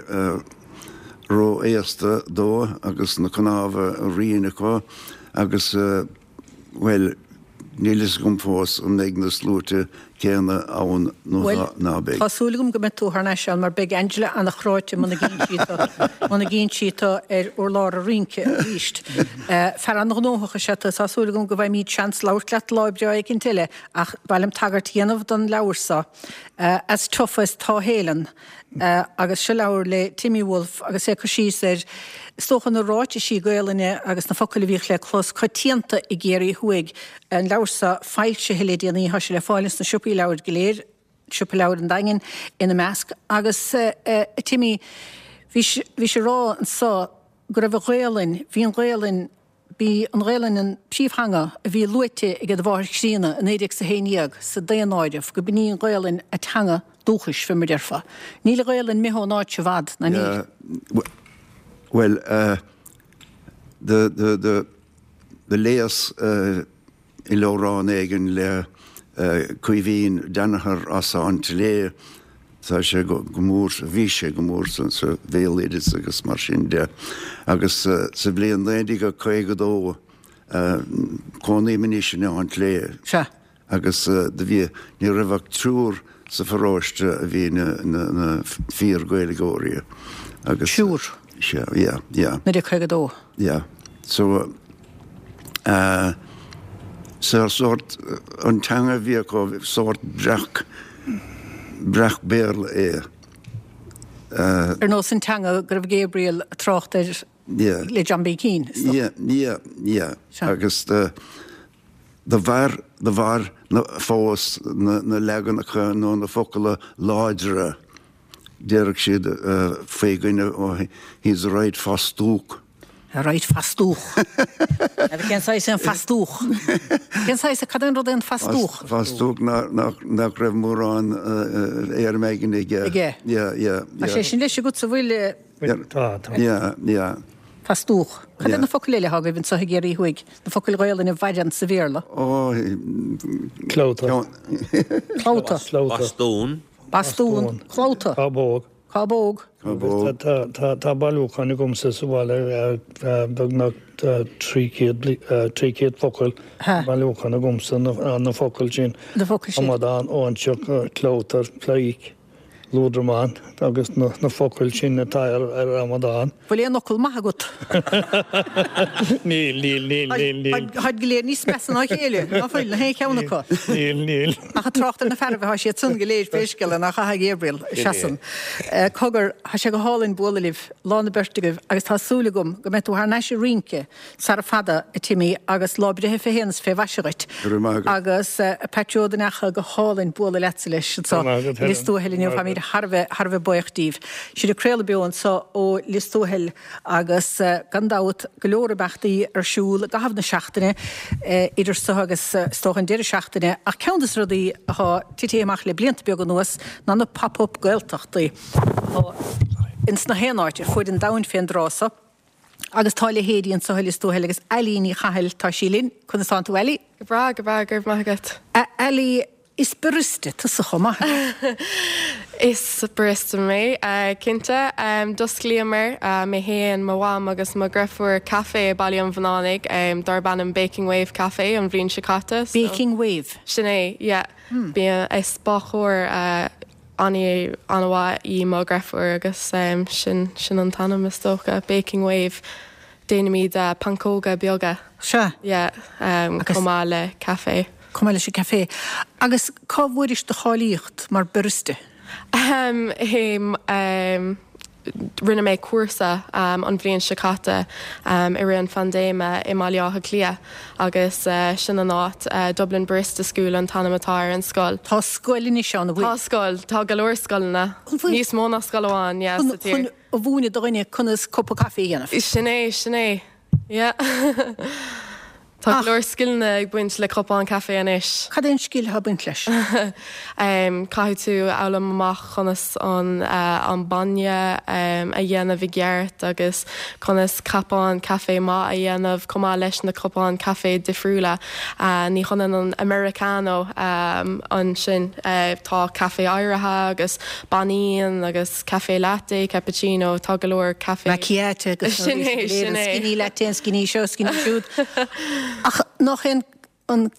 ró-aosta dó agus na cnámha righin acu agus, bhuel, níl fhios agam fós an mbeidh na sluaite céanna ann nó ná beidh. Bhuel, tá súil agam go mbeidh tú thar n-ais ann mar beidh Angela ana-chráite muna gcíonn sí tú, muna gcíonn sí tú ar urlár a rince arís. Fear an-ghnóthach is ea tú, tá súil agam go bhfaighimid seans labhairt leat lá breá éicint eile ach ba mhaith liom tagairt a dhéanamh don leabhar seo, As Tough as Tá Helen. Agus seo leabhar le Timmy Wolfe agus é ag cur síos ar, is dócha, na ráitisí Gaolainne agus na focail a bhíodh le clos coitianta i gCiarraí Thuaidh. An leabhar seo foilsithe le déanaí, tá sé le fáil ins na siopaí leabhair go léir, Siopa Leabhar an Daingin ina measc. Agus a Timmy, bhís, bhís ag rá anso go raibh an Ghaolainn, bhí an Ghaolainn, B'í an Ghaelainn an príomhtheanga a bhí luaite ag do mháthair chríonna i 1911 sa daonáireamh, go b'in í an Ghaelainn a teanga dúchais, fé mar déarfá. Níl an Ghaelainn imithe ón áit seo i bhfad, ná níl? Bhuel, do léas i leabhrán éigin le Caoimhín Danaher as an tSléibhe. Tá sé go mór, bhí sé go mór sa bhéaloideas agus mar sin de. Agus sa bhliain 1952, cónaím anois in Áth an tSléibhe. Sea. Agus do bhí, ní raibh ach triúr sa pharóiste a bhí ina fíor-Ghaeilgeoirí. Agus. Triúr? Sea, yeah, yeah. 1952. Yeah. So, eh, so sórt, an teanga a bhí acu, sórt breac, breac Béarla é. Eh. Ar nós an teanga go raibh Gabriel ag trácht air. Yeah. Le John B. Keane, is dócha. Yeah, yeah, yeah. Sea. Agus do, do mhair, do mhair na, fós na, na leaganacha nó na focla láidre. Déarfadh siad faoi dhuine, oh, he's a right fastúch. A right fastúch. Agus cén saghas é an fastúch? Cén saghas, cad é an rud é an fastúch? Fastúch nach raibh mórán éirim aigne aige. Aige. Yeah, yeah, yeah. Tá sé sin leis agatsa, bhfuil? Tá, tá. Yeah, yeah. Fastúch. Cad é na focail eile atá agaibh anseo i gCiarraí Thuaidh? Na focail Ghaelainne a mhaireann sa Bhéarla? Ó, Clabhta. Clabhta. Bastún. Bastún. Clabhta. Cábóg. Cábóg. Agus tá bailiúchán agamsa sa bhaile, beagnach 300 focal, bailiúchán agamsa, na focail sin. Na focail sin. Amadán, óinseach, clabhtar, pleidhce. Lúdramán agus na focail sin atá ar amadán. Bhfuil aon fhocal maith agat? Níl, níl, níl, níl, níl. Táid go léir níos measa ná a chéile, ná fuil, na haon cheann acu. Níl, níl. Ach ag trácht ar na fearaibh atá siad san go léir pé scéal é, nach ea a Ghabriel, seasann. Cogar, tá sé go hálainn bualadh libh, lá na beirte agaibh, agus tá súil agam go mbeidh tú thar n-ais ag rince Sara fada, a Timmy, agus lá breithe fé shéan is fé mhaise dhuit. Go raibh maith agat. Agus a Pat Joe den Eacha, go hálainn bualadh leatsa leis anseo Go raibh maith agat, i Lios Tuathail inniu. Helen. Táimid thar a bheith, thar a bheith buíoch díbh. Sinn ag craoladh beo anseo ó Lios Tuathail agus gan dabht go leor imeachtaí ar siúl i gcaitheamh na seachtaine, idir seo agus is dócha an deireadh seachtaine. Ach ceann de na rudaí atá titithe amach le blianta beaga anuas ná na Pop Up Gaeltachtaí atá ins na haon áit ar fuaid an domhain fén dtráth so. Agus tá a leithéidí anseo i Lios Tuathail agus Ailí Ní Chathail, tá sí linn. Conas tánn tú, Ailí? Go breá, go breá, go raibh maith agat. A Ailí, is barista tusa chomh maith. Is barista mé, cinnte. D'osclaíomar, mé féin, mo mham agus mo dheirfiúr, caife i Baile an Bhunánaigh darb ainm Baking Wave Café an bhliain seo caite. Baking Wave? Sin é, yeah. Bíonn, is bácóir an-mhaith í mo dheirfiúr agus sin sin an t-ainm is dócha, Baking Wave. Déanaimid pancóga beaga. Sea. Yeah, chomh maith le caife. Chomh maith leis an gcaife. Agus cá bhfuairis do cháilíocht mar barista? Rinne mé cúrsa an bhliain seo caite i rith an phaindéime i mBaile Átha Cliath agus sin an áit, Dublin Barista School an t-ainm atá ar an scoil. Tá scoil anois ann, an bhfuil? Tá scoil, tá go leor scoileanna, níos mó ná scoil amháin, yeah, sa tír. Chun a mhúineadh do dhuine conas cupa caife a dhéanamh. Sin é, sin é. Yeah. Tá go leor scileanna ag baint le cupán caife anois. Cad é an scil atá ag baint leis? Caithfidh tú a fhoghlaim amach conas an an bainne a dhéanamh i gceart agus conas cupán caife maith a dhéanamh chomh maith leis na cupáin caife difriúla. Ní hionann an Americano ansin. Tá caife oighrithe agus bainín agus. Café latte, cappuccino, tá go leor caife. Macchiato agus na Sin rudaí é, sin go léir, sin an é. skinny latte, an skinny seo, skinny siúd. Ach nach é an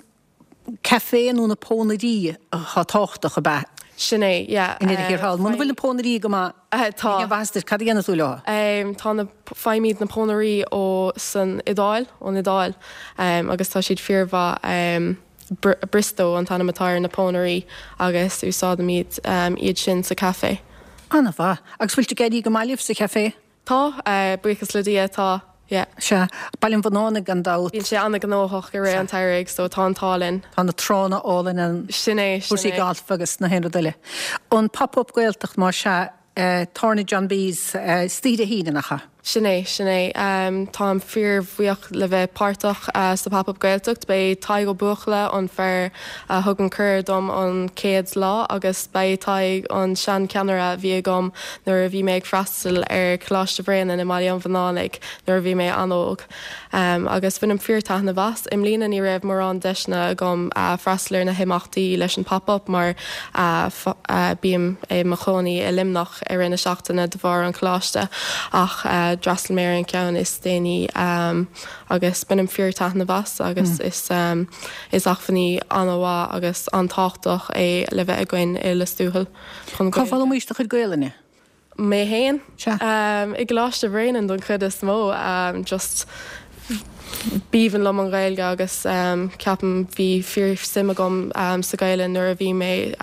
caife nó na pónairí atá tábhachtach, ab ea? Sin é, yeah. I ndeireadh thiar thall. Muna bhfuil na pónairí go maith, Tá. ní mhaitheas duit, cad a dhéanfaidh tú leo? Tá na, faighimid na pónairí ó san Iodáil, ón Iodáil, agus tá siad fíormhaith. Baristo an t-ainm atá ar na pónairí agus úsáidimid iad sin sa chaife. An-mhaith. Agus bhfuil ag éirí go maith libh sa chaife? Tá, buíochas le Dia, tá, yeah. Sea. Baile an Bhunánaigh gan dabht. Bíonn sé an-ghnóthach i rith an tsamhraidh so tá an t-ádh linn. Tá na tránna álainn ann. Sin é, sin Cúrsaí é. gailf agus na haon rud eile. An Pop Up Gaeltacht más ea, Tábhairne John B's istoíche Dé hAoine, nach ea? Sin é, sin é. Táim fíorbhuíoch le bheith páirteach sa Pop Up Gaeltacht. Beidh Tadhg Ó Buachalla, an fear a thug an cuireadh dom an chéad lá agus beidh Tadhg, an sean-cheannaire a bhí agam nuair a bhí mé ag freastal ar Choláiste Bhréanainn i mBaile an Bhunánaigh nuair a bhí mé an-óg. Agus bhainim fíor-taitneamh as. I mbliana ní raibh mórán deiseanna agam freastal ar na himeachtaí leis an Pop Up mar bím i mo chónaí i Luimneach i rith na seachtaine de bharr an choláiste ach d'fhreastail mé ar an cheann is déanaí agus bainim fíor-taitneamh as agus is is acmhainní an-mhaith agus an-tábhachtach é le bheith againn i Lios Tuathail chun Cá bhfoghlaimís do chuid Gaelainne? Mé fhéin? Sea. I gColáiste Bhréanainn don chuid is mó. Just B'aoibhinn liom an Ghaeilge agus ceapaim bhí fíor suim agam sa Ghaelainn nuair a bhí mé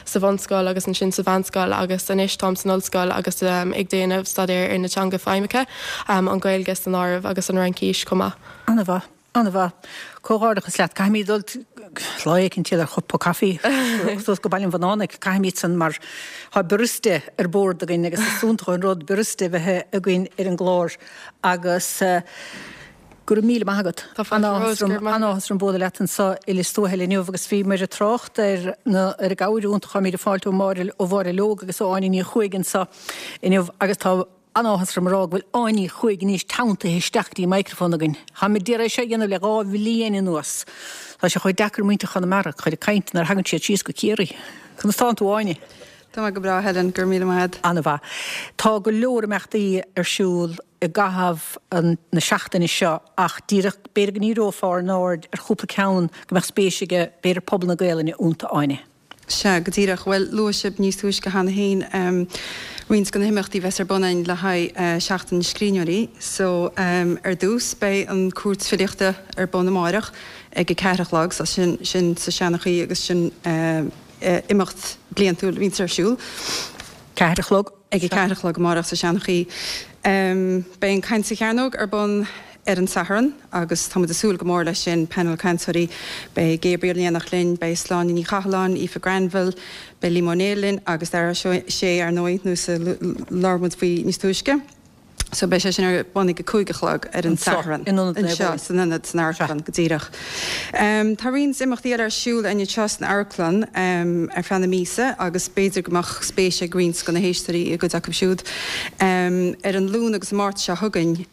sa bhunscoil agus ansin sa mheánscoil agus anois táim san ollscoil agus ag déanamh staidéar ar na teanga feidhmeacha, an Ghaeilge san áireamh agus an Fhraincis chomh maith. An-mhaith. An-mhaith. Comhghairdeachas leat. Caithfimid dul lá éicint ar chupa caife suas go Baile an Bhunánaigh. Caithfimid san mar tá barista ar bord againn agus is iontach an rud barista a bheith againn ar an gclár agus go raibh míle maith agat. Tá fáilte romhat, go raibh maith agat. An-áthas orm bualadh leat anseo i Lios Tuathail inniu agus bhíomar ag trácht ar na ar an gcabhair iontach atáimid ag fáilt ó Mháire ó Mháire Leog agus ó Áine Ní Chuaig anseo inniu agus tá An-áthas orm a rá go bhfuil Áine Ní Chuaig anois teanntaithe isteach go dtí an microphone againn. Táimid d'iarraidh é seo a dhéanamh le 2 bhliain anuas. Tá sé chomh deacair muintir Chonamara a chur ag caint nuair a thagann siad síos go Ciarraí. Conas tánn tú, Áine? Tá mé go breá, Helen, go raibh míle maith agat. An-mhaith. Tá go leor imeachtaí ar siúl i gcaitheamh na seachtaine seo ach díreach b'fhéidir go ndíreofá ár n-aird ar chúpla ceann go mbeadh spéis aige b'fhéidir pobal na Gaelainne iontu, Áine. Sea, go díreach. Bhuel, luaigh sibh níos túisce cheana féin roinnt de na himeachtaí a bheas ar bun againn le haghaidh Seachtain na Scríbhneoirí. So, ar dtús, beidh an Cúirt Filíochta ar bun amáireach ag a ceathair a chlog, so sin, sin sa Seanchaí agus sin imeacht bliantúil a bhíonns ar siúl. Ceathair a chlog. Ag a ceathair a chlog amárach sa Seanchaí. Beidh an Caint sa Chearnóg ar bun ar an Satharn agus tá muid ag súil go mór leis sin. Painéal cainteoirí, beidh Gabriel in éineacht linn, beidh Sláine Ní Chathalláin, Aoife Granville, beidh Liam Ó Néill linn agus Dara Ó Sé ar ndóigh, nós a labhair muid faoi níos túisce. So beidh sé sin ar bun ag a 5 a chlog ar an Satharn. Anseo, san ionad, san amharclann, go díreach. Tá roinnt imeachtaí eile ar siúl againn anseo san amharclann ar feadh na míosa agus b'fhéidir go mbeadh spéis ag roinnt de na héisteoirí i gcuid acu siúd. Ar an Luan agus an Máirt seo chugainn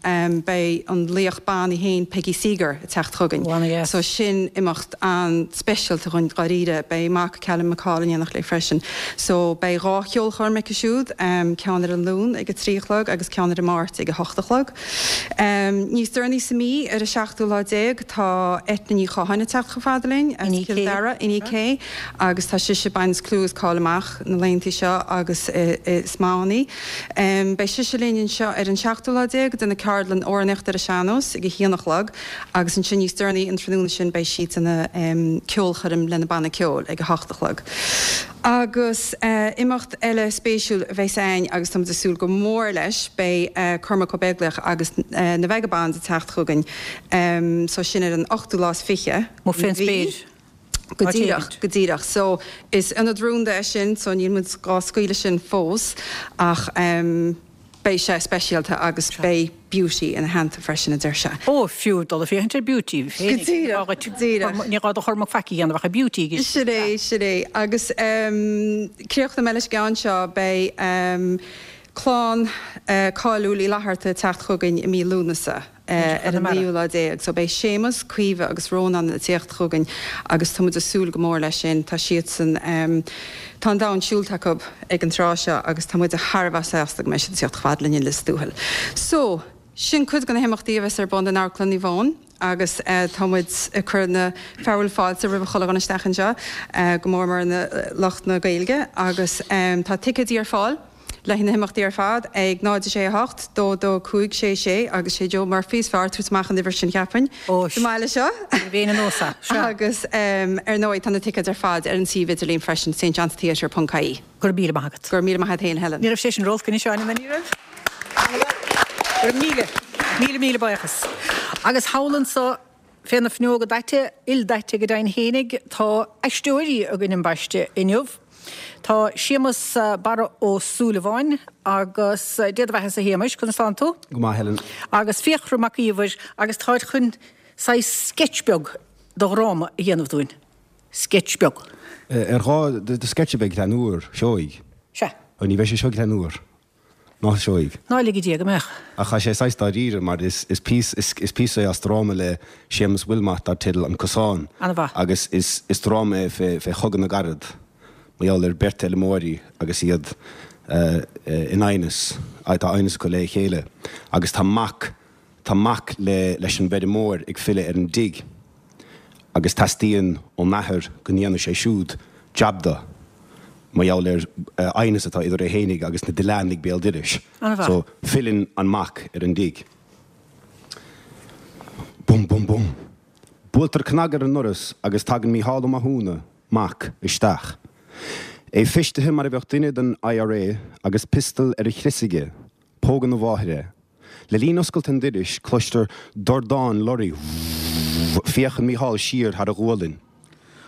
beidh an laoch ban í féin Peggy Seeger ag teacht chugainn. So sin imeacht an-speisialta dhúinn dháiríre. Beidh a mac Callum McCall in éineacht léi freisin. So beidh 2 cheolchoirm aici siúd, ceann ar an Luan ag a 3 a chlog agus ceann ar an Máirt ag a 8 a chlog. Níos deireanaí sa mí, ar an seachtú lá déag, tá Eithne Ní Chatháin ag teacht chomh fada linn as Cill Dara, Inni-K, agus tá sise ag baint clú agus cáil amach na laethanta seo agus is maith ann í. Beidh sise linn anseo ar an seachtú lá déag ag déanamh ceardlann amhránaíochta ar an sean-nós ag a haon a chlog agus ansin níos deireanaí an tráthnóna sin beidh sí ag déanamh ceolchoirm lena banna ceoil ag a hocht a chlog. Agus imeacht eile spéisiúil a bheas againn agus táimid ag súil go mór leis, beidh Cormac Ó Beaglaoich agus na Vagabonds ag teacht chugainn, so sin ar an ochtú lá is fiche den mhí. Go díreach, go díreach. So is ionad rúnda é sin, so níl muid dhá scaoileadh sin fós ach beidh sé speisialta agus beidh Beauty ina theannta freisin, a deir sé. Ó, fiú dul ag féachaint ar Beauty féin. Go díreach, go díreach. Ní gá do Chormac faic a dhéanamh ach ar Beauty. Sin é, sin é. Agus críochnóidh mé leis an gceann seo, beidh clann cáiliúil Uí Fhlatharta ag teacht chugainn i mí Lúnasa. ar an naoú lá déag. So beidh Séamus, Caoimhe agus Rónán ag tíocht chugainn agus tá muid ag súil go mór leis sin. Tá siadsan, tá an domhan siúlta acu ag an tráth seo agus tá muid thar a bheith sásta go mbeidh siad ag tíocht chomh fada linn i Lios Tuathail. So, sin cuid de na himeachtaí a bheas ar bun in Amharclann Naomh Eoin agus tá muid ag cur na fearúil fáilte roimh chuile dhuine isteach anseo, go mór mór na lucht na Gaeilge agus tá ticéidí ar fáil. Le haghaidh na himeachtaí ar fad ag 0 6 8 2 2 5 6 6 agus sé Joe Murphy is fearr tabhairt amach an uimhir sin cheapfainn sa mbaile seo. Agus ar ndóigh tá na ticéid ar fad ar an suíomh idirlín freisin, stjohnstheatre ponc ie. Go raibh míle maith agat. Go raibh míle maith agat féin Helen. Ní raibh sé sin ró-olc anois Áine, ní raibh? Go raibh míle, míle míle buíochas. Agus thall anso Fé na fuinneoga daite, ildaite go deimhin fhéinig, tá aisteoirí againn ambaiste inniu. Tá Séamus Barra Ó Súilleabháin agus, Dé do bheathasa a Shéamais, conas tánn tú? Go maith, Helen. Agus Fiachra Mac Íomhair agus táid chun saghas sketch beag de dhráma a dhéanamh dúinn. Sketch beag. Ar ghá do sketch a bheith greannmhar, seoigh? Sea. Ní bheidh sé seo greannmhar. Ná seoigh. Ná lige Dia go mbeadh. Ach tá sé saghas dáiríre mar is is píosa é as dráma le Séamus Wilmot dar teideal An Cosán An-mhaith. agus is is dráma é fé fé Chogadh na gCarad mar gheall ar beirt fheilmeoirí agus iad in aighneas, tá aighneas acu le chéile agus tá mac Tá mac le leis an bhfeirmeoir ag filleadh ar an dtigh agus teastaíonn ón athair go ndéanfaidh sé siúd jab do, mar gheall ar aighneas atá idir é fhéinig agus na Dileánaigh béal dorais. An-mhaith. So, filleann an mac ar an dtigh. Bum, bum, bum. Buailtear cnag ar an ndoras agus tagann Mícheál Ó Mathúna, mac, isteach. É feistithe mar a bheadh duine den IRA agus piostal ar a chrios aige. Pógann a mháthair é. Le linn oscailt an doiris, cloistear dordán lorraí. Féachann Mícheál siar thar a ghualainn.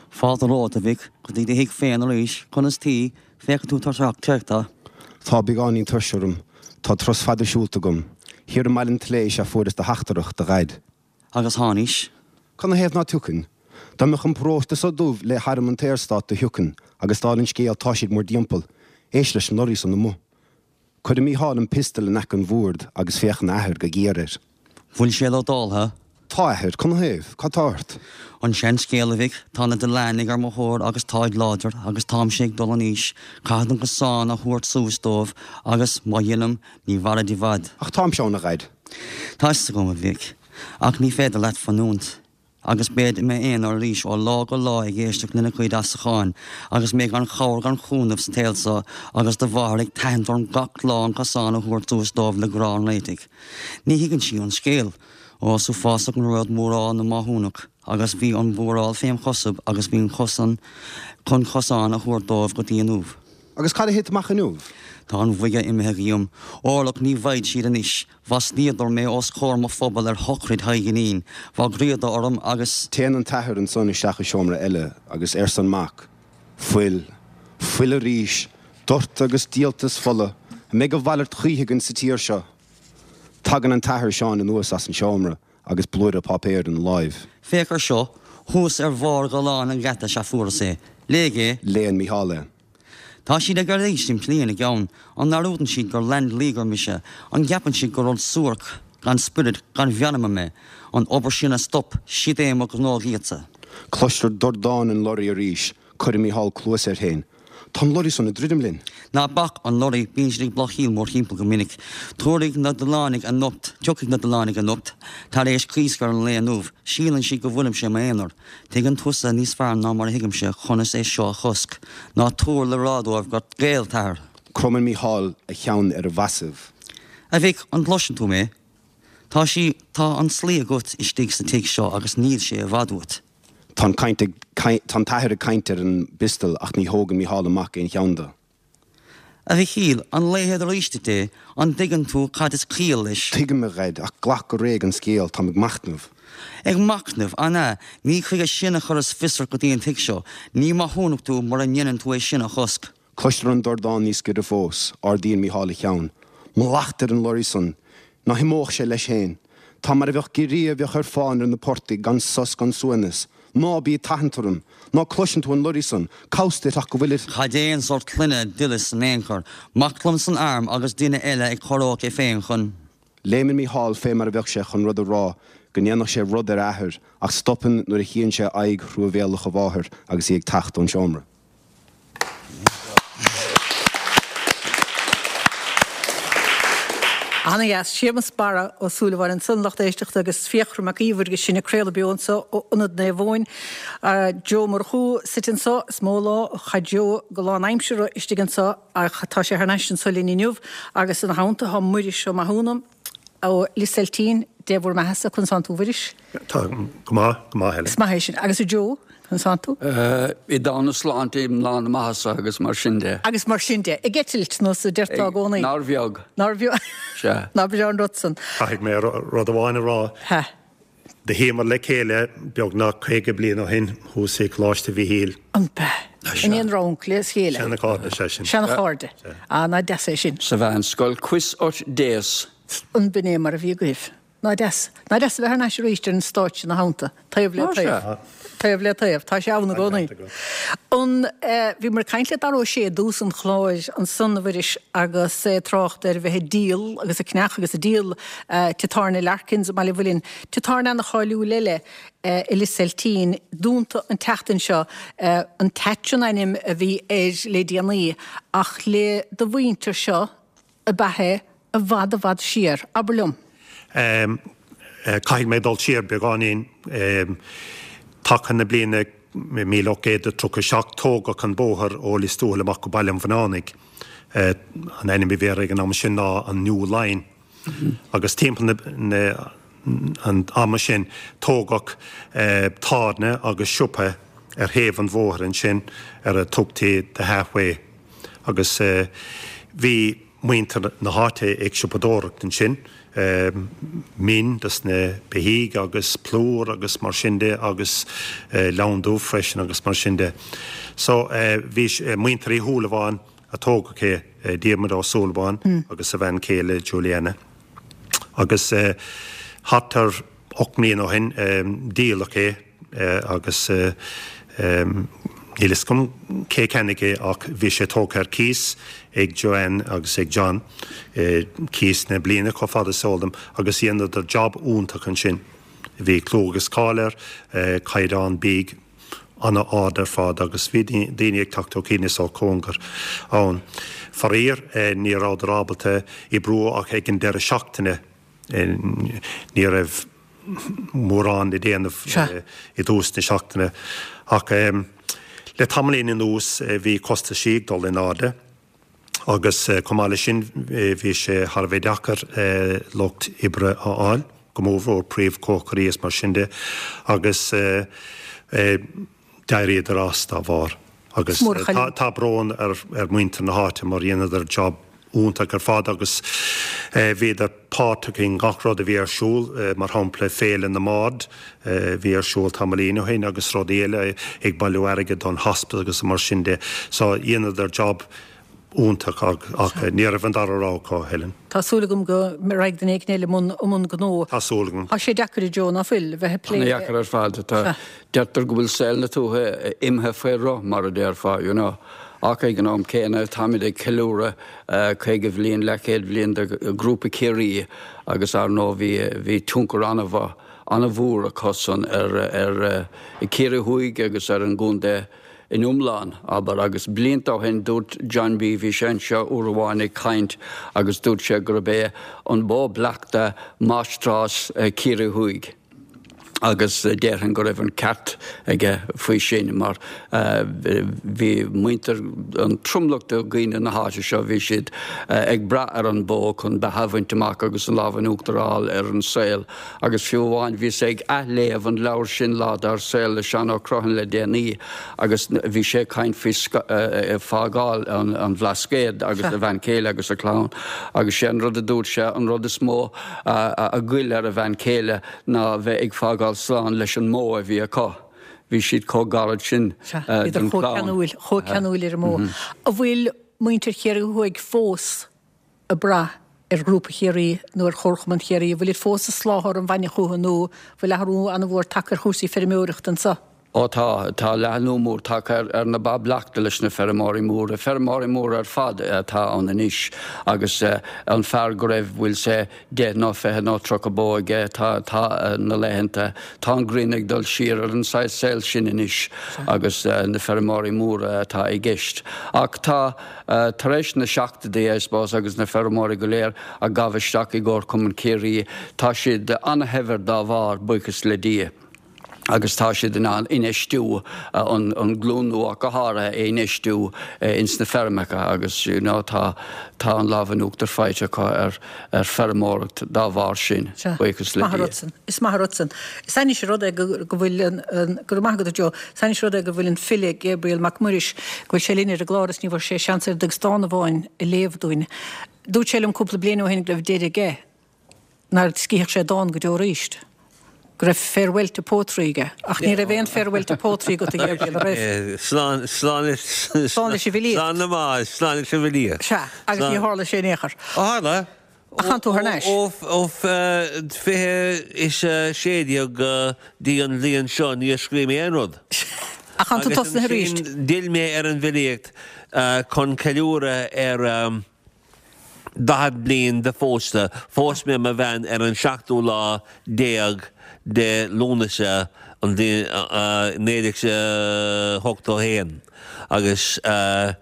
Fáilte romhat, a mhic, go dtí do thigh féin arís. Conas taoi? Féachann tú tuirseach traochta. Tá beagáinín tuirse orm. Tá turas fada siúlta agam. Thiar i mBaile an tSléibhe is ea fuaireas do theachtaireacht, a Dhaid. Agus tháinís. Cad 'na thaobh ná tiocfainn? Dá mbeadh an paróiste so dubh le harm an tSaorstát do thiocfainn, agus dála an scéil tá siad 'múr dtimpeall. Éist leis an lorraí san amuigh. Cuireann Mícheál an piostal in aice an bhoird agus féachann a athair go géar air. Bhfuil sé lódáltha? Tá, a athair. Cad 'na thaobh? Cad tá ort? An seanscéal, a mhic. Tá na Dillánigh ar mo thóir agus táid láidir, agus táimse ag dul in aois. Caithfead an cosán a thabhairt suas dóibh agus, má dheinim, ní mhairfid i bhfad. Ach táimse ann, a Dhaid. Tá 'fhios agam, a mhic. Ach ní féidir leat fanúint. Agus bead i m'aonar arís ó lá go lá ag éisteacht lena gcuid asacháin, agus mé gan chabhair gan chúnamh sa tsaol so, agus do mháthair ag tathant orm gach lá an cosán a thabhairt suas dóibh le grá an réitigh. Ní thuigeann sí an scéal. Ó, is uafásach an rud múráil na Mathúnach, agus bhí an mhúráil fém chosaibh agus bhí an cosán chun cosán a thabhairt dóibh go dtí inniu. Agus cad a thit amach inniu? Tá an bhoige imithe dhíom. Órlach ní bhfaighid siad anois. Mhaslaíodar mé os comhair mo phobail ar shochraid Thaidhg Inín. Bhagraíodar orm agus. Téann an t-athair ansan isteach i seomra eile agus arsa an mac, Fuil, fuil arís, doirteadh agus díoltas fola, an mbeidh a mhalairt choíche againn sa tír seo? Tagann an t-athair Seán anuas as an seomra agus blúire páipéir ina láimh. Féach ar seo, thuas ar bharr ghallán an gheata sea fuaras é. Léigh é. Léann Mícheál é. Tá siad ag iarraidh simplí ina gceann. An ndearúdann siad gur Land Leaguer mise? An gceapann siad gur rud suairc, gan spiorad, gan mheanma mé? An obair sin a stop, sid é mo ghnó dhíotsa. Cloistear dordán an lorraí arís. Cuireann Mícheál cluas air féin. Tá an lorraí san ag druidim linn. Ná bac an lorraí, bíonn siad ag bláthaíl mórthimpeall go minic. Tabharfaidh na Dilleánaigh anocht, tiocfaidh na Dilleánaigh anocht, tar éis coiscéim an lae inniu. Síleann siad go bhfuilimse i m'aonar. Tuigeann tusa níos fearr ná mar a thuigimse conas é seo a chosc. Ná tabhair le rá dóibh gur ghéill t'athair. Cromann Mícheál a cheann ar a bhasaibh. A mhic, an gcloiseann tú mé? Tá sí, tá an tslí agat istigh sa tigh seo agus níl sé i bhfad uait. Tá an caint ag, tá an t-athair ag caint ar an bpiostal ach ní thógann Mícheál amach aon cheann de. A Mhichíl, an léifead arís duit é? An dtuigeann tú cad is ciall leis? Tuigim, a Dhaid, ach glac go réidh an scéal, táim ag machnamh. Ag machnamh, an ea? Ní chuige sin a chuireas fios ort go dtí an tigh seo. Ní maithiúnach tú mura ndeineann tú é sin a chosc. Cloistear an dordán níos giorra fós. Ardaíonn Mícheál a cheann. Mallacht ar an lorraí san! Ná himeodh sé leis féin. Tá mar a bheadh giorria a bheadh ar fán ar na portaigh gan sos gan suaimhneas. Ná bí ag tathant orm! Ná cloiseann tú an lorraí san? Cabhas duit ach go bhfuilir. Cad é an sórt clainne a d'oileas in aon chor? Mac liom san arm agus duine eile ag corródh é féin chun. Léimeann Mícheál fé mar a bheadh sé chun rud a rá, go ndéanfadh sé rud ar a athair, ach stopann nuair a chíonn sé aghaidh thruamhéalach a mháthar agus í ag teacht ón seomra. Ana-dheas. Séamus Barra Ó Súilleabháin ansan, lucht éisteachta agus Fiachra Mac Íomhair agus sinn ag craoladh beo anso ó Ionad Naomh Eoin. Joe Murchú suite anso, is mó lá a chaith Joe go lánaimseartha istigh anso ach tá sé thar n-ais anso linn inniu agus ina theannta tá Muiris Ó Mathúna. Ó Lios Eiltín, Dé bhur mbeathasa, conas tánn tú a Mhuiris? Tá go maith, go maith Helen. Is maith é sin. Agus a Joe, conas tánn tú? I dána na sláinte, i lán na maitheasa agus mar sin de. Agus mar sin de. Ag eitilt, nós a deirteá i gcónaí. Nár bheag. Nár bheag. Sea. Nár bhreá an rud san. Caithfidh mé rud amháin a rá. Sea. Do shuíomar le chéile beagnach 50 bliain ó shin thuas i gColáiste Mhichíl. An b'ea? Sea. In aon rang le chéile? Seana-chairde is ea sin. Seana-chairde. Sea. Ah, ná deas é sin. Sa mheánscoil, cois ort déas. An b'in é mar a bhí agaibh? Ná deas. Ná deas a bheith thar n-ais arís ar an stáitse ina theannta, taobh le taobh. Taobh le taobh. Tá sé ann i gcónaí. An, bhíomar ag caint le Dara Ó Sé i dtús an chláir ansan, a Mhuiris, agus é ag trácht ar bheith ag díol agus ag ceannach agus ag díol Tigh Tábhairne Larkins i mBaile Mhuilinn. Tigh tábhairne ana-cháiliúil eile i Lios Eiltín, dúnta an tseachtain seo. An Thatch an ainm a bhí air le déanaí ach le do mhuintir seo ab ea é i bhfad i bhfad siar. Abair liom. Caithfidh mé dul siar beagáinín. Taca na bliana 1837 tógadh an bóthar ó Lios Tuathail amach go Baile an Bhuinneánaigh. An ainm a bhí air ag an am sin ná an New Line. Agus timpeall na. an ama sin tógadh tábhairne agus siopa ar thaobh an bhóthair ansin ar a tugtaí The Halfway agus bhí muintir na háite ag siopadóireacht ansin, min dos na beithígh agus plúr agus mar sin de agus leann dubh freisin agus mar sin de. So bhí muintir Uí Shúilleabháin a tógadh é, Diarmuid Ó Súilleabháin agus a bhean chéile Juliana. Agus thart ar 8 mbliana ó shin díoladh é agus níl fhios agam cé a cheannaigh é ach bhí sé tógtha ar cíos ag Joanne agus ag John, cíos na bliana chomh fada is eol dom, agus dheineadar job iontach ansin. Bhí clú agus cáil air, caighdeán bídh. an-ard ar fad agus bhí daoine ag teacht ó chian is ó chóngar ann. Faraor, ní rabhadar ábalta oibriú ach ag an deireadh seachtaine. Ní raibh mórán le déanamh i dtús na seachtaine. Ach le tamaillín anuas bhí costaisí ag dul in airde. Agus chomh maith leis sin bhí sé thar a bheith deacair lucht oibre a fháil, go mórmhór príomhchócairí is mar sin de, agus d'éiríodar as dá bharr. Agus tá brón ar mhuintir na háite mar dheineadar job iontach ar fad agus bhíodar páirteach i ngach rud a bhí ar siúl, mar shampla Féile na mBard a bhí ar siúl tamaillín ó shin agus rudaí eile, ag bailiú airgid don hospice agus mar sin de. So dheineadar job iontach ach ní raibh an dara rogha acu, Helen. Tá súil agam go raghaidh duine éigin eile i mbun gnó. Tá súil agam. Tá sé deacair a Joe, ná fuil, a bheith ag plé le. Ana-dheacair ar fad. Tá, deirtear go bhfuil saol na tuaithe imithe faoi roth, mar a déarfá, you know. Ach ag an am céanna, táimid ag ceiliúradh 50 bhliain, leathchéad bhliain de Ghrúpa Chiarraí agus ar ndóigh bhí, bhí tionchar an-mhaith, an-mhór acusan ar, ar Ciarraí Thuaidh agus ar an gcontae in iomlán, abair. Agus blianta ó shin dúirt John B. bhí sé anseo uair amháin ag caint agus dúirt sé gurb é an bó bleachta máistreás Ciarraí Thuaidh. agus déarfainn go raibh an ceart aige faoi sin mar bhí muintir, an tromlach de dhaoine na háite seo, bhí siad ag brath ar an bó chun beatha a bhaint amach agus an lámh in uachtar a fháil ar an saol. Agus fiú amháin bhíos ag athléamh an leabhair sin Lá Dár Saol le Seán Ó Criomhthain le déanaí agus bhí sé ag caint faoi fágáil an Bhlascaoid agus a bhean chéile agus a chlann agus sé an rud a dúirt sé, an rud is mó a ghoill ar a bhean chéile ná bheith ag fágáil slán leis an mbó a bhí acu. Bhí siad chomh gairid sin don chlann. Bhíodar chomh ceanúil ar an mbó. An bhfuil muintir Chiarraí Thuaidh fós ag brath ar Ghrúpa Chiarraí nó ar Chomharchumann Chiarraí? An bhfuilid fós ag soláthar an bhainne chucu nó an bhfuil athrú an-mhór tagtha ar chúrsaí feirmeoireachta anseo? Ó tá, tá leathnú mór tagtha ar na ba bleachta leis na feirmeoirí móra, feirmeoirí móra ar fad atá ann anois agus an fear go raibh, bhfuil sé 10 nó 20 nó 30 bó aige, tá, tá na laethanta, tá an ghrian ag dul siar ar an saghas saol sin anois agus na feirmeoirí móra atá i gceist. Ach tá, tar éis na seachtóidí, I suppose, agus na feirmeoirí go léir a ghabh isteach i gComharchumann Chiarraí, tá siad ana-shaibhir dá bharr, buíochas le Dia. agus tá siad in ann infheistiú, an glúin nua ach go háirithe, a infheistiú ins na feirmeacha agus you know tá tá an lámh in uachtar faighte acu ar ar feirmeoireacht dá bharr sin, buíochas le Dia. Is maith an rud san. Is ainnis an rud é go go bhfuil an an go raibh maith agat a Joe, is ainnis an rud é go bhfuil an file Gabriel Mac Muiris, go bhfuil sé linn ar an gclár is ní bhfuair sé seans oiread agus dán amháin a léamh dúinn. Dúirt sé liom cúpla bliain ó shin go raibh deireadh aige nár scríobhadh sé dán go deo arís, go raibh farewell to poetry aige. Ach ní raibh aon farewell to poetry agat, a Ghabriel, an raibh? Slán, slán leis, Slán leis an bhfilíocht. Slán le maith, slán leis an bhfilíocht. Sea, agus ní tharla sé in aon chor. Ó tharla. Ach tánn tú thar n-ais. Ó, ó, 20 is 16 go dtí an bhliain seo níor scríobh mé aon rud. Ach tánn tú tosnaithe arís. Agus ansin d'fhill mé ar an bhfilíocht chun ceiliúradh ar. 40 bliain de phósta, phós mé mo bhean ar an seachtú lá déag de Lúnasa an bhliain 1981 agus 40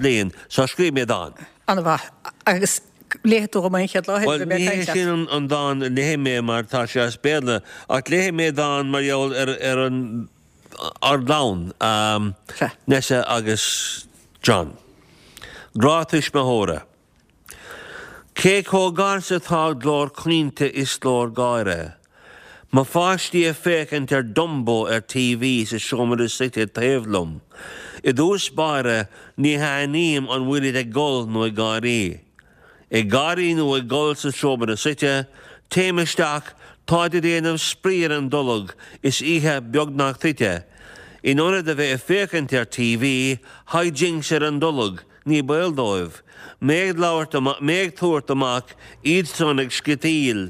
bliain, so scríobh mé dán. An-mhaith. Agus léifidh tú dhom é an chéad lá eile Bhuel, go mbeidh ní hé caint leat. sin an dán a léifidh mé mar tá sé as Béarla, ach léifidh mé dán mar gheall ar ar an ár gclann, Nessa agus John. Grá tuismitheora. Cé chomh gar 's atá glór caointe is glór gáire? Mo pháistí ag féachaint ar Dumbo ar TV sa seomra suite taobh liom. I dtús báire ní haithním an bhfuilid ag gol nó ag gáirí. Ag gáirí nó ag gol sa seomra suite, téim isteach, táid ag déanamh spraoi ar an dtolg is oíche beagnach tite. In ionad a bheith ag féachaint ar TV, hijinks ar an dtolg, ní baol dóibh. Mé ag labhairt, mé ag tabhairt amach, iadsan ag sciotaíl.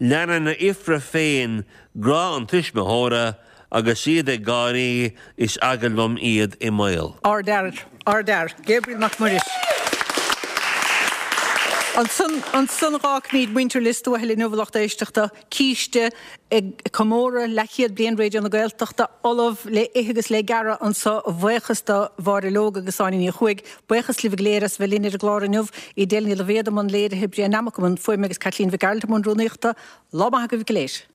Leanann a fhiafraí féin grá an tuismitheora agus iad ag gáirí is eagal liom iad i mbaol. Ardfhear, ardfhear. Gabriel Mac Muiris. Ansan, ansan dh'fhágfaimid muintir Lios Tuathail inniu a lucht éisteachta, císte ag comóradh leathchéad bliain Raidió na Gaeltachta, ullamh le ithe agus le gearradh anso, a bhuíochas do Mháire Leoga agus Áine Ní Chuaig. Buíochas libh go léir as bheith linn ar an gclár inniu. Edel Ní Loibhéad i mbun léirithe, Brian Nammock i mbun fuaime agus Caitlín Mhic Gearailt i mbun rúnaíochta. Lá maith agaibh go léir.